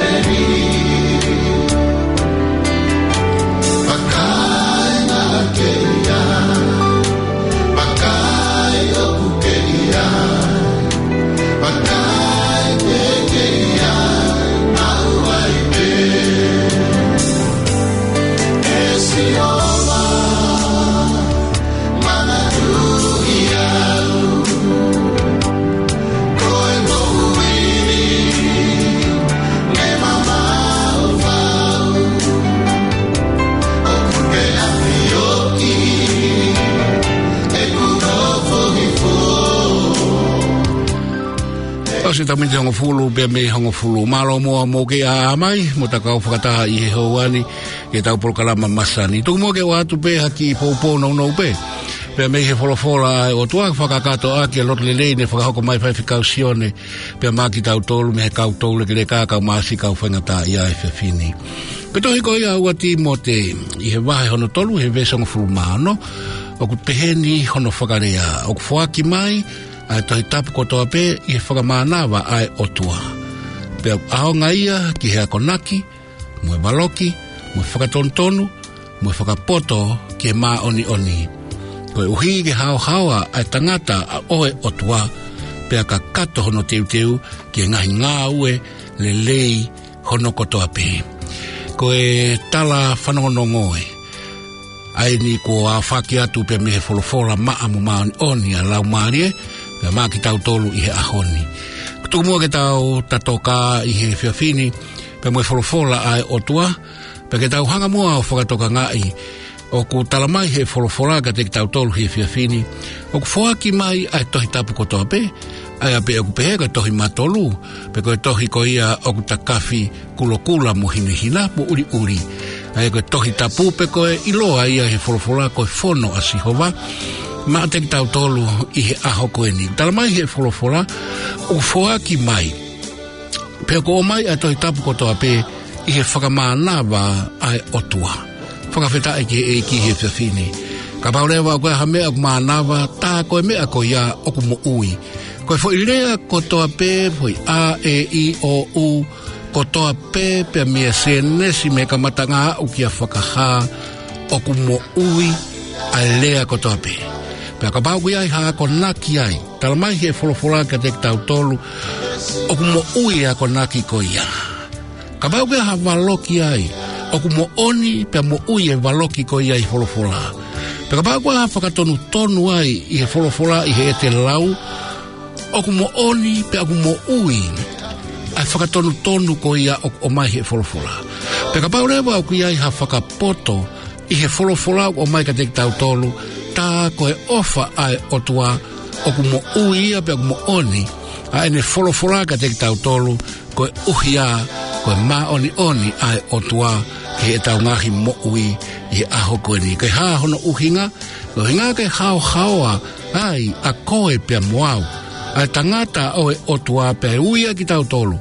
Tau si tamiti hongofulu, pea mei hongofulu. Mālō muʻa mou kei ʻā mai, mo ta kau fakataha ʻi he houa ni, ki he tau polokalama Masani. Tuku muʻa ke ʻoatu pē ha kiʻi poupou nounou pē. Pea mei he folofola ʻa e ʻOtua, fakakātoa ki he lotu lelei ne fakahoko mai ʻe Faifekau Sione, pea maʻa kitautolu mei he kau toulekeleka, kau masiʻi, kau faingataʻaʻia he efiafi ni. Ko e tohi ko ia ua Tīmote, ʻi he vahe hono tolu, he veesi hongofulu mā ono, ʻoku pehē ni hono fakalea: ʻOku foaki mai ʻa e Tohi Tapu kotoa pē ʻi he fakamānava ʻa e ʻOtua. Pea ʻoku ʻaonga ia ki he akonaki, mo e valoki, mo e fakatonutonu, mo e fakapoto ki he māʻoniʻoni, koeʻuhi ke haohaoa ʻa e tangata ʻa e ʻOtua, pea kakato hono teuteu ki he ngaahi ngāue lelei hono kotoa pē. Ko e tala fanongonongo ē, ʻa eni kuo aofaki atu pē mei he folofola maʻa mo māʻoniʻoni ʻa e Laumālie, pea maʻa kitautolu ʻi he ʻaho ni. Tuku muʻa ke tau tatōkā ʻi he efiafi ni, pea mo e folofola ʻa e ʻOtua, pea ke tau hanga muʻa ʻo fakatokangaʻi, ʻoku tala mai he folofola kiate kitautolu he efiafi ni, ʻoku foaki mai ʻa e Tohi Tapu kotoa pē, ʻa ia pē ʻoku pehē ko e tohi matolu, pe ko e tohi ko ia ʻoku takafi kulokula mo hinehina mo ʻuliʻuli. ʻA ia ko e Tohi Tapu pē ko e ʻiloa ia he folofola ko e fono ʻa Sihova, maʻa kitautolu ʻi he ʻaho ko eni. Tala mai he folofola, ʻoku foaki mai, pea ʻoku ʻomai ʻa e Tohi Tapu kotoa pē ʻi he fakamānava ʻa e ʻOtua. Fakafetaʻi ki he ʻEiki he efiafi ni. Kapau leva ʻoku ʻi ai ha meʻa ʻoku mānava, tā ko e meʻa ko ia ʻoku moʻui. Ko e foʻi lea kotoa pē, foʻi a, e, i, o, u, kotoa pē, pea mei Sēnesi mei he kamataʻanga aʻu kia Fakahā, ʻoku moʻui ʻa e lea kotoa pē. Pea kapau ʻoku ʻi ai ha akonaki ai, tala mai he folofola kiate kitautolu, ʻoku moʻui e akonaki ko ia. Kapau ʻoku ʻi ai ha valoki ai, ʻoku moʻoni pea moʻui e valoki ko ia ʻi he folofola. Pea kapau ʻoku ʻi ai ha fakatonutonu ai ʻi he folofola ʻi heʻete lau, ʻoku moʻoni pea ʻoku moʻui ʻa e fakatonutonu ko ia ʻoku ʻomai he folofola. Pea kapau leva ʻoku ʻi ai ha fakapoto ʻi he folofola ʻoku ʻomai kiate kitautolu, tā ko e ʻofa ʻa e ʻOtua, ʻoku moʻui ia pea ʻoku moʻoni ʻa ʻene folofola kiate kitautolu, koeʻuhi ia ko e māʻoniʻoni ʻa e ʻOtua ki heʻetau ngaahi moʻui ʻi he ʻaho ko eni. Ko e hā hono ʻuhinga? Ko e ʻuhinga ke haohaoa ai ʻa koe pea mo au, ʻa e tangata ʻo e ʻOtua, pea ui ʻa kitautolu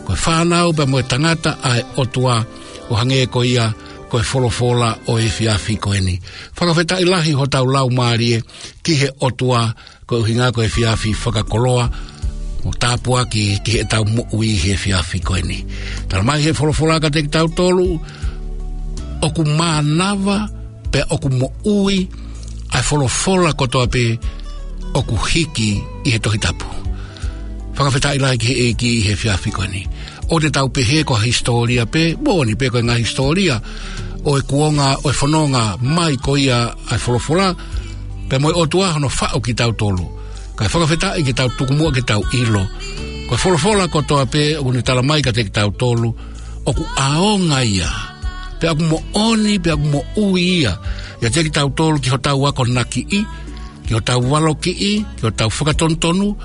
ko e fānau pea mo e tangata ʻa e ʻOtua, ʻo hangē ko ia ko e folofola ʻo e efiafi ko eni. Fakafetaʻi lahi hotau laumālie ki he ʻOtua, ko e ʻuhinga ko e efiafi fakakoloa, mo tāpuaki ki heʻetau moʻui he efiafi ko eni. Talamai he folofola kiate kitautolu, ʻoku mānava, pea ʻoku moʻui ʻa e folofola kotoa pē ʻoku hiki ʻi he Tohi Tapu. Fakafetaʻi lahi ki he ʻEiki he efiafi ko eni. ʻOua te tau pehē ko ha hisitōlia pē, moʻoni pē ko e ngaahi hisitōlia ʻo e kuonga, ʻo e fononga mai ko ia ʻa e folofola, pea mo e ʻOtua hono faʻu kitautolu. Kae fakafetaʻi ke tau tuku muʻa ke tau ʻilo, ko e folofola kotoa pē ʻoku ne talamai kiate kitautolu, ʻoku ʻaonga ia, pea ʻoku moʻoni, pea ʻoku moʻui ia, ʻiate kitautolu ki hotau akonakiʻi, ki hotau valokiʻi, ki hotau fakatonutonu,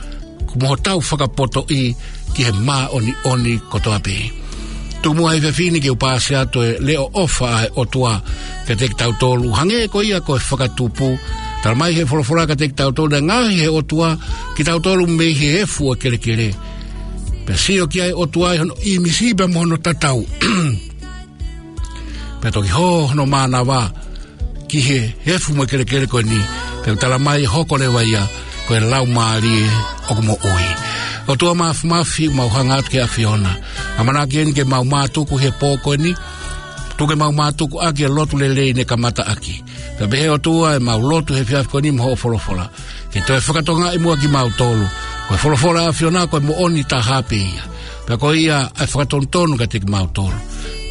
mo hotau fakapotoʻi ki he māʻoniʻoni kotoa pē. Tuku muʻa he efiafi ni ke u pāsi atu e leʻo ʻofa ʻa e ʻOtua kiate kitautolu, hangē ko ia ko e fakatupu. Talamai he folofola kiate kitautolu, naʻe ngaohi he ʻOtua kitautolu mei he efu ʻo e kelekele, pea sio ki ai ʻOtua ʻi hono ʻīmisi pea mo hono tatau. Pea toki hō hono mānava ki he efu mo e kelekele ko eni, pea ʻoku talamai hoko leva ia ko e Laumālie ʻoku moʻui. ʻOtua Māfimafi, mau hanga atu ki he ʻAfiona. ʻAmanaki eni ke mau mātuku he pō ko eni, tuku ke mau mātuku ʻaki e lotu lelei ne kamata ʻaki. Pea pehē ʻOtua ʻemau lotu he efiafi ko eni mo hoʻo folofola, ke toe fakatokangaʻi muʻa kimautolu ko e folofola ʻa e ʻAfiona ko e moʻoni taha pē ia, pea ko ia ʻa e fakatonutonu kiate kimautolu,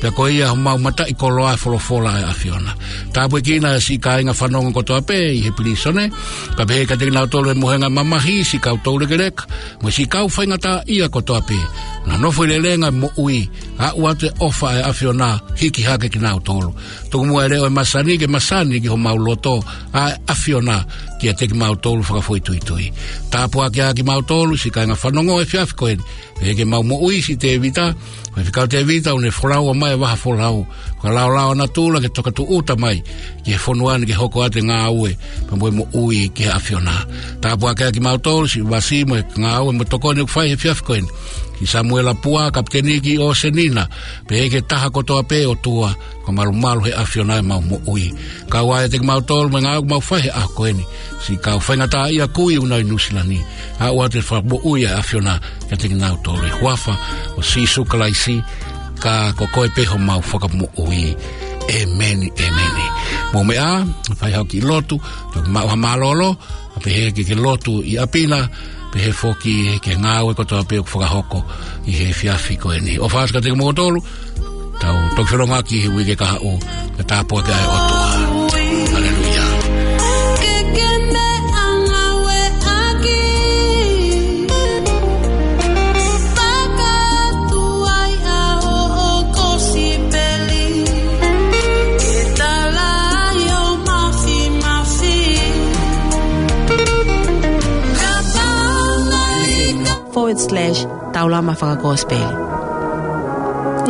pea ko ia homau mataʻikoloa ʻa e folofola ʻa e ʻAfiona. Tāpuekina siʻi kāinga fanongo kotoa pē ʻi he pilīsone, pea pehē kiate kinautolu ʻi he mohenga mamahi, siʻi kau toulekeleka mo siʻi kau faingataʻaʻia kotoa pē, ʻoku nau nofo ʻi lelenga moʻui, aʻu atu e ʻofa ʻa e ʻAfiona hiki hake kinautolu. Tuku muʻa e leʻo ʻo e masani ke masani ki homau loto ʻa e ʻAfiona kiate kimautolu fakafoʻituitui. Tāpuakiʻi kimautolu siʻi kāinga fanongo he efiafi ko eni, pehē ki heʻemau moʻui siʻi Tēvita, Faifekau Tēvita, ʻoku ne folau mai e vaha folau, fakalaolao natula ke tokatūʻuta mai ki he fonua ni ke hoko atu e ngāue pea mo e moʻui ki he ʻAfiona. Tāpuakiʻi kimautolu siʻi vasi mo e ngāue mo e tokoni ʻoku fai he efiafi ko eni, siʻi Samuela Pua, Kapiteni ki ʻOsenina, pehē ki he taha kotoa pē ʻOtua, fakamalumalu he ʻAfiona ʻemau moʻui. Kau ai ʻiate kimautolu mo e ngāue ʻoku mau fai he ʻaho ko eni, siʻi kau faingataʻaʻia kui ʻoku nau ʻi Nuʻusila ni, aʻu atu e fakamoʻui ʻa e ʻAfiona kiate kinautolu. ʻI he huafa ʻo Sīsū Kalaisi, ka ko koe pē homau Fakamoʻui. ʻĒmeni, ʻēmeni. Mou meʻa, fai haʻo kiʻi lotu, toki maʻu ha mālōlō, ʻa pehē ke ke lotu ʻi ʻapi na, pehē foki ki he ngāue kotoa pē ʻoku fakahoko ʻi he efiafi ko eni. ʻOfa atu kiate kimoutolu, tau toki felongoaki he uike kahaʻu, ke tāpuakiʻi ʻa e ʻOtua. Haleluia. Ke ke meʻa ngāue ʻaki. Fakatuai ʻa hoʻo kosipeli. Ke tala ai ho māfimafi. Ka pau mai ka forward slash Taulama Fakakosipeli.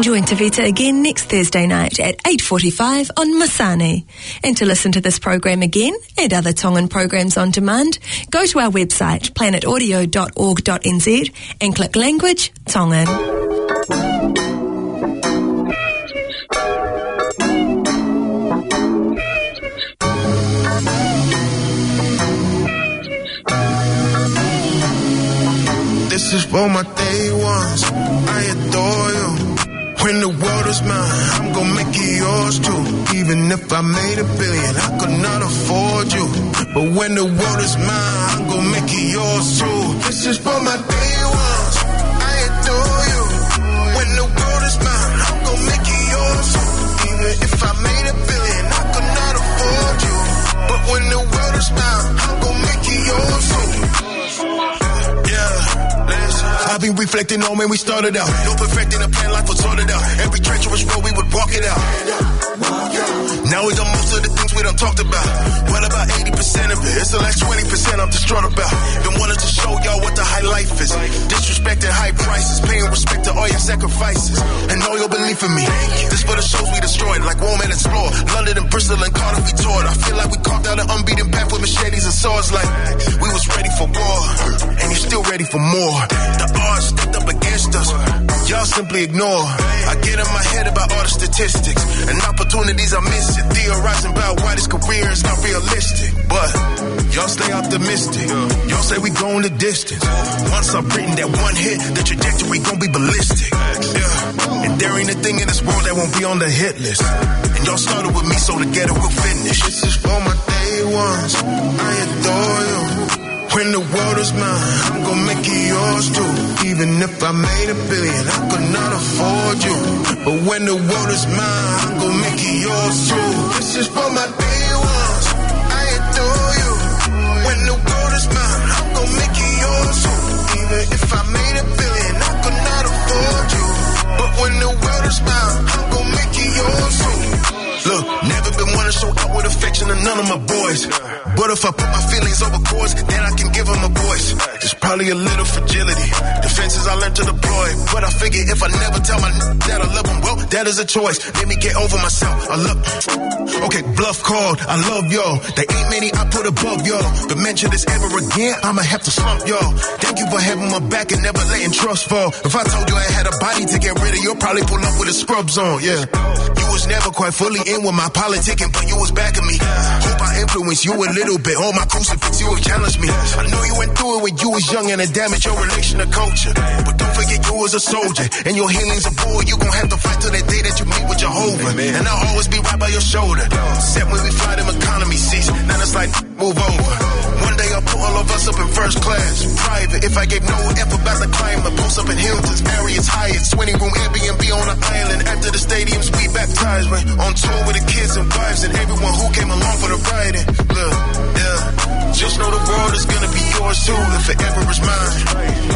Join Tavita again next Thursday night at eight forty-five on Masani. And to listen to this program again and other Tongan programs on demand, go to our website, planet audio dot org dot N Z, and click Language, Tongan. This is for my day ones. I adore you. When the world is mine, I'm gonna make it yours too. Even if I made a billion, I could not afford you. But when the world is mine, I'm gonna make it yours too. This is for my day ones. I adore you. When the world is mine, I'm gonna make it yours too. Even if I made a billion, I could not afford you. But when the world is mine, I'm gonna make it yours too. Yeah, listen. I've been reflecting on when we started out. No perfecting a plan, life was sorted out. Every treacherous road, we would walk it out. Now we done most of the things we done talked about. What about eighty percent of it? It's the last twenty percent I'm distraught about. Been wanting to show y'all what the high life is. Disrespecting high prices, paying respect to all your sacrifices and all your belief in me. This for the shows we destroyed, like Rome and Explore, London and Bristol and Cardiff we toured. I feel like we carved out an unbeaten path with machetes and swords. Like we was ready for war, and you still ready for more. The odds stacked up against us, y'all simply ignore. I get in my head about all the statistics and opportunities I miss it. Theorizing about why this career is not realistic. But y'all stay optimistic. Y'all say we going the distance. Once I've written that one hit, the trajectory gon' be ballistic. Yeah. And there ain't a thing in this world that won't be on the hit list. And y'all started with me, so together we'll finish. This is for my day ones. I adore you. When the world is mine, I'm gonna make it yours too. Even if I made a billion, I could not afford you. But when the world is mine, I'm gonna make it yours too. This is for my day ones. I adore you. When the world is mine, I'm gonna make it yours too. Even if I made a billion, I could not afford you. But when the world is mine, I'm gonna make it yours too. Look, never been one to show outward affection to none of my boys. But if I put my feelings over chords, then I can give 'em a voice. It's probably a little fragility. Defenses I learned to deploy. But I figure if I never tell my n- that I love 'em, well, that is a choice. Let me get over myself. I look. Okay, bluff called. I love y'all. There ain't many I put above y'all. But mention this ever again, I'ma have to slump y'all. Thank you for having my back and never letting trust fall. If I told you I had a body to get rid of, you'll probably pull up with the scrubs on, yeah. You was never quite fully in with my politicking, but you was backing me. Hope I influenced you a little bit. On my crucifix, you have challenged me. I know you went through it when you was young and it damaged your relation to culture. But don't forget you was a soldier, and your healing's a bull. You gon' have to fight till that day that you meet with Jehovah. And I'll always be right by your shoulder. Except when we fly them economy seats, then it's like, move over. One day I'll put all of us up in first class, private. If I gave no F about the climate, post up in Hilton's, Marriott's, Hyatt's, twenty room Airbnb on the island. After the stadiums, we baptized. When on tour with the kids and wives and everyone who came along for the ride. And look, yeah, just know the world is gonna be yours too if it ever is mine.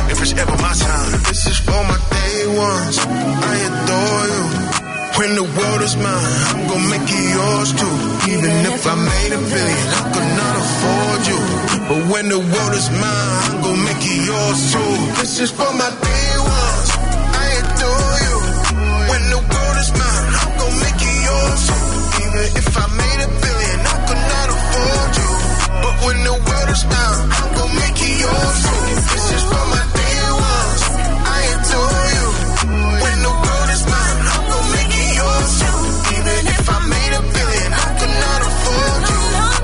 If it's ever my time, this is for my day ones. I adore you. When the world is mine, I'm gonna make it yours too. Even if I made a billion, I could not afford you. But when the world is mine, I'm gonna make it yours too. This is for my day ones. I adore you. When the world is mine, I'm gonna make it yours too. Even if I made a billion, I could not afford you. But when the world is mine, I'm gonna make it yours too. This is for my day ones. I adore you. When the world is mine, I'm gonna make it yours too. Even if I made a billion, I could not afford you.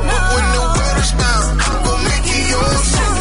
But when the world is mine, I'm gonna make it yours too.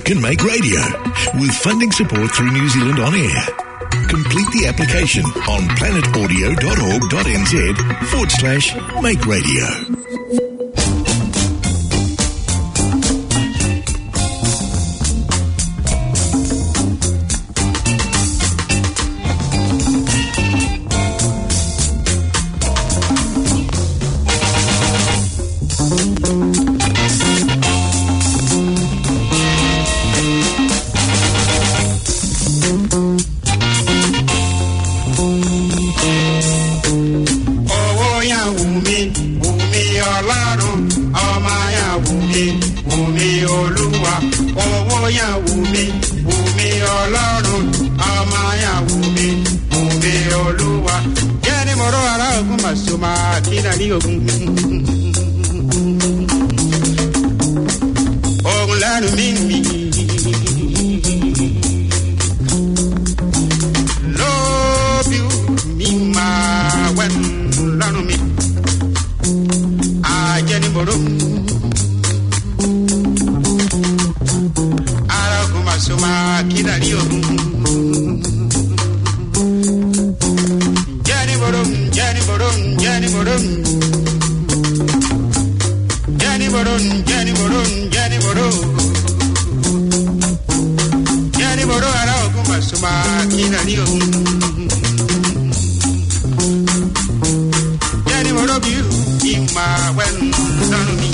can make radio with funding support through New Zealand On Air. Complete the application on planet audio dot org dot N Z forward slash make radio. ʻOua ʻe ʻumi, ʻumi ʻo lalo, ʻomai ʻa e ʻumi, ʻumi ʻo lua. ʻOua ʻe ʻumi, ʻumi ʻo lalo, ʻomai ʻa e ʻumi, ʻumi ʻo lua. Kene moro ara ʻoku masuma kina ni o. ʻOku lanu mimi. Love you, mi ma wen lanu mi. A jeni borum. Ara kuma suma kina rio. Jeni borum, jeni borum, jeni borum. Jeni borum, jeni borum, jeni borum. Jeni borum ara kuma suma kina rio. Jeni borum biu ima wen lanu mi.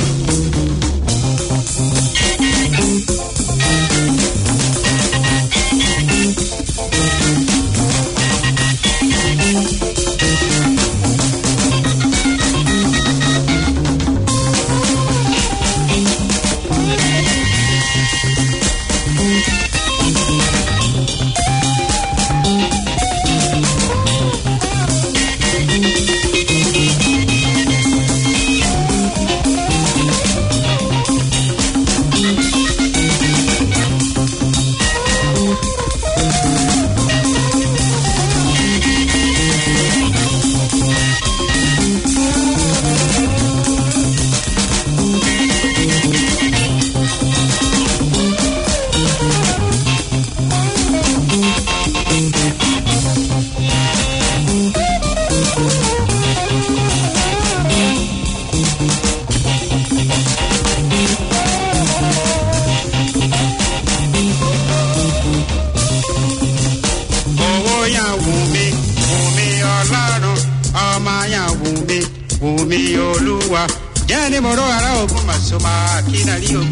ʻOua ʻe ʻumi, ʻumi ʻo lalo, ʻomai ʻa e ʻumi, ʻumi ʻo lua. Jeni moro ara ʻoku masuma kina rio.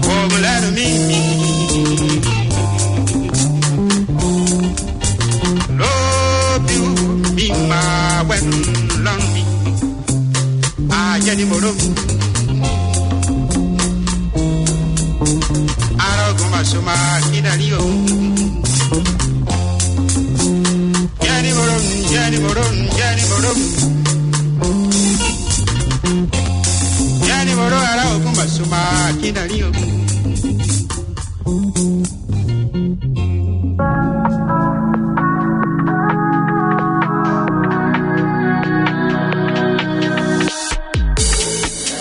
ʻOku lanu mimi. Love you, mi ma wen lanu mi. A jeni borum. Ara kuma suma kina rio. Jeni borum, jeni borum, jeni borum. Jeni borum ara kuma suma kina rio.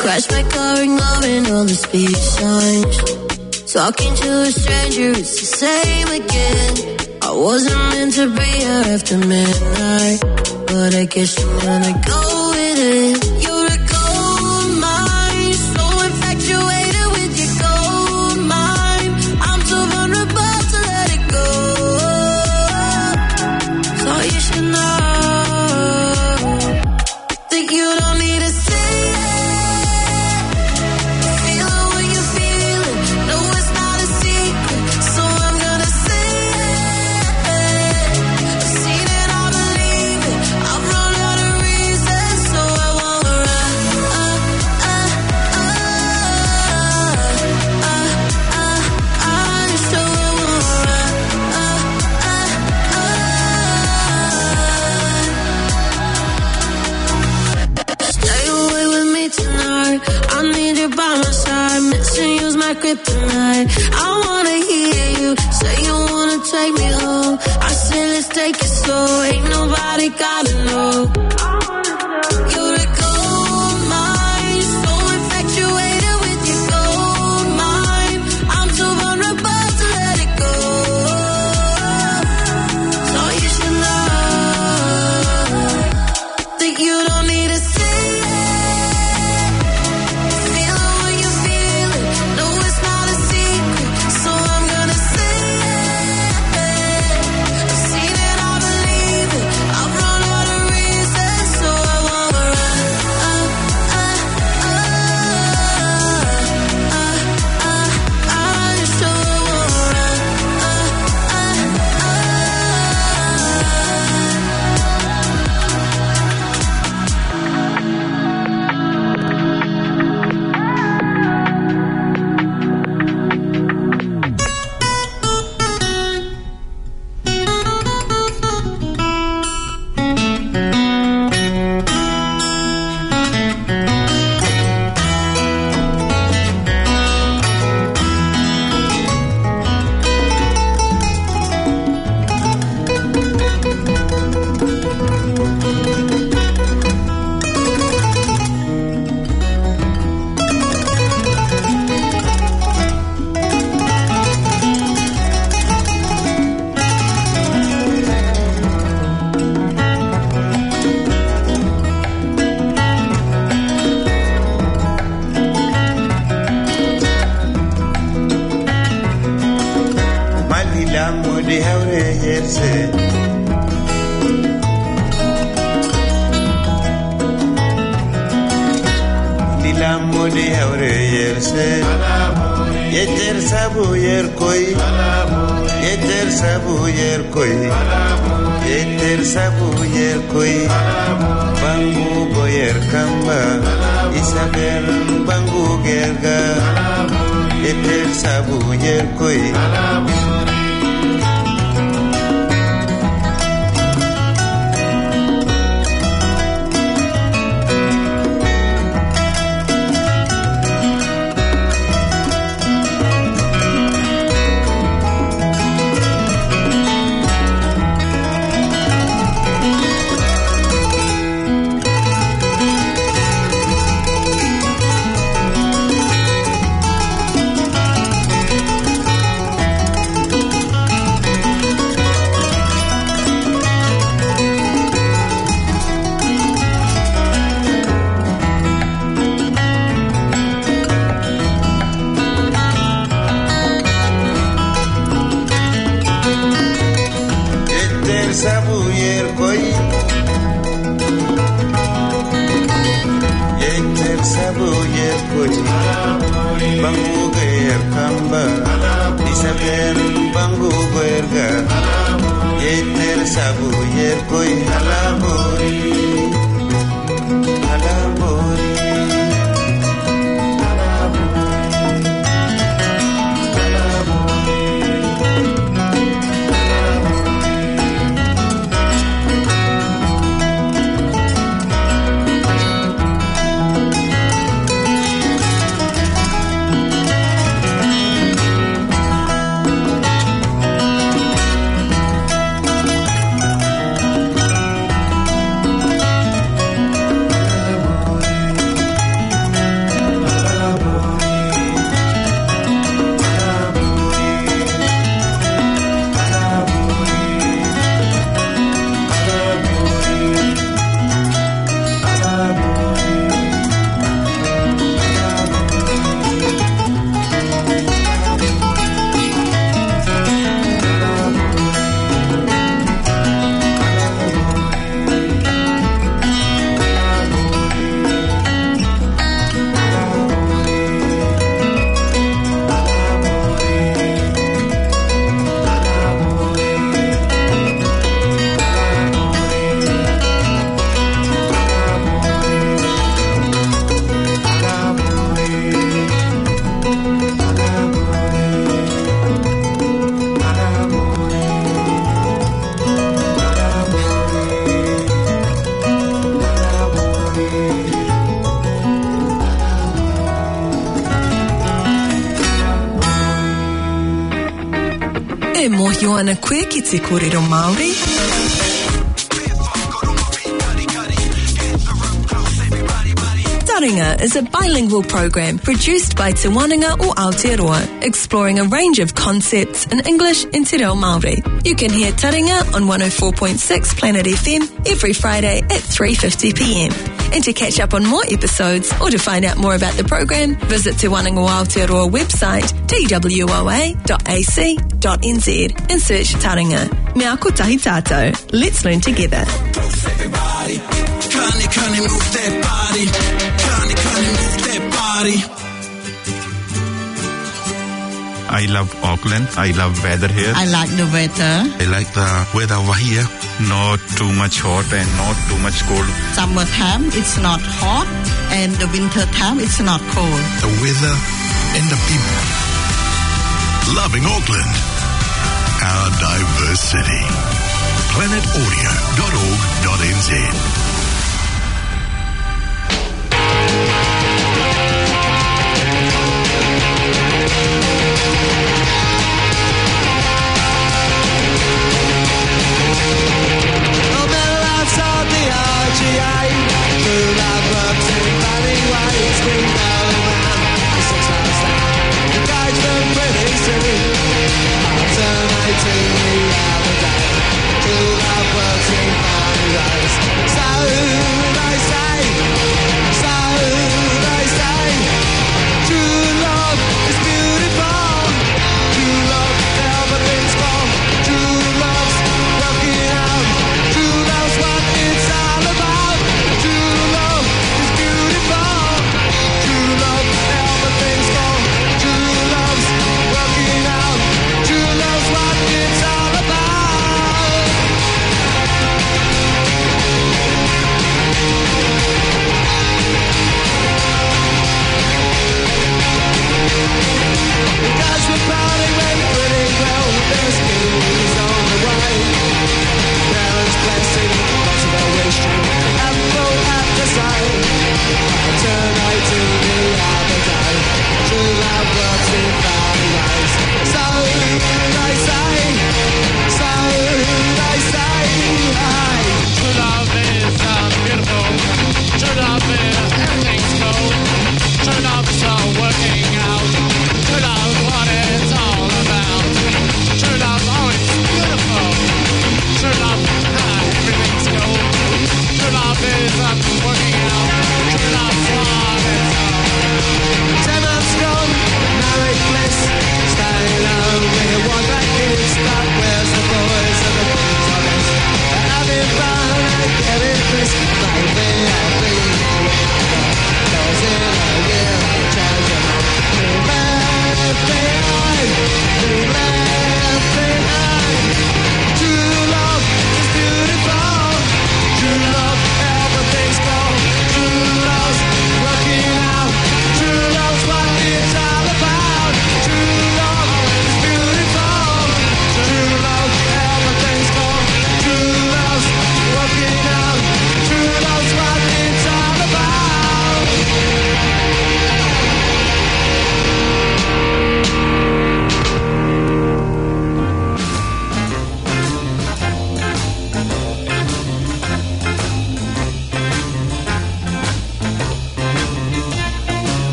Crash my car and ignoring all the speed signs. Talking to a stranger, it's the same again. I wasn't meant to be here after midnight, but I guess I'm gonna go with it. You're a gold mine, so infatuated with your gold mine. I'm too vulnerable to let it go. So you should know that you don't need to say it. Feel it when you feel it. No, it's not a secret, so I'm gonna say it. I've seen it, I believe it. I've run out of reasons, so I won't run. So I won't run. Stay away with me tonight. I need you by my side. Missing you's my kryptonite. I wanna hear you say you wanna take me home. I say let's take it slow. Ain't nobody gotta know. You're a gold mine, so infatuated with your gold Lilamo de haure yerse. Lilamo de haure yerse. Yeter sabu yerkoi. Yeter sabu yerkoi. Yeter sabu yerkoi. Bangu goyer kamba. Isabel bangu gerga. Yeter sabu yerkoi. Yeter sabu yerkoi. Yeter sabu yerkoi. Bangu goyer kamba. Isabel bangu goyer ga. Yeter sabu yerkoi. Alabori. Alabori. E mōhio ana koe ki te kōrero Māori? Taringa is a bilingual program produced by Te Wānanga o Aotearoa, exploring a range of concepts in English and te reo Māori. You can hear Taringa on one oh four point six Planet F M every Friday at three fifty p.m. And to catch up on more episodes or to find out more about the program, visit Te Wānanga o Aotearoa website, T W O A dot A C dot N Z, and search Taringa. Mea ako tahi tātou. Let's learn together. Everybody, kani, kani, move that body. Kani, kani, move that body. I love Auckland. I love weather here. I like the weather. I like the weather over here. Not too much hot and not too much cold. Summertime, it's not hot, and the winter time, it's not cold. The weather and the people. Loving Auckland, our diverse city. Planet Audio dot org dot N Z.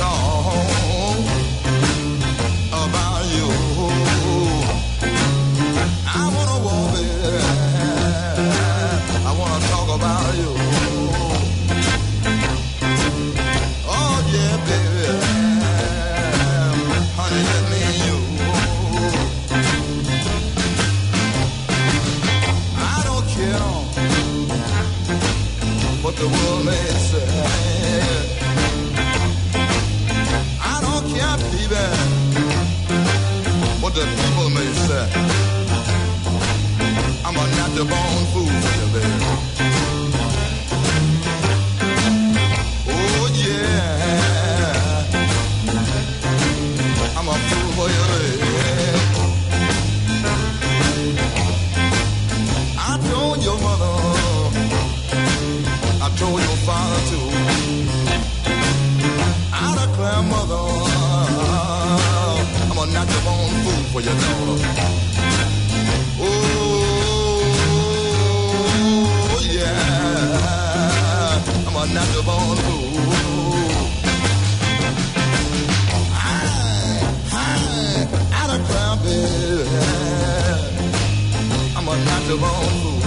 Talk about you. I wanna walk, baby. I wanna talk about you. Oh, yeah, baby. Honey, just me and you. I don't care what the world may say. I don't care, baby, what the people may say. I'm a natural born fool for you, baby. Oh, yeah. I'm a fool for you, baby. I told your mother, I told your father too. I declare, mother, I'm a natural born fool for your daughter. Oh, yeah, I'm a natural born fool. I, I, I declare, baby, I'm a natural born fool.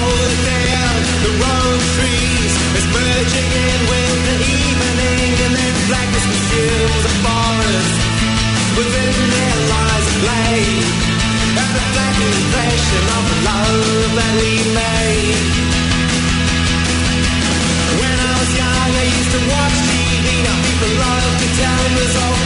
Over there, the rose trees is merging in with the evening, and then blackness consumes the forest. Within there lies a blade, and the flat impression of the love that we made. When I was young, I used to watch T V. Now people love to tell me it's all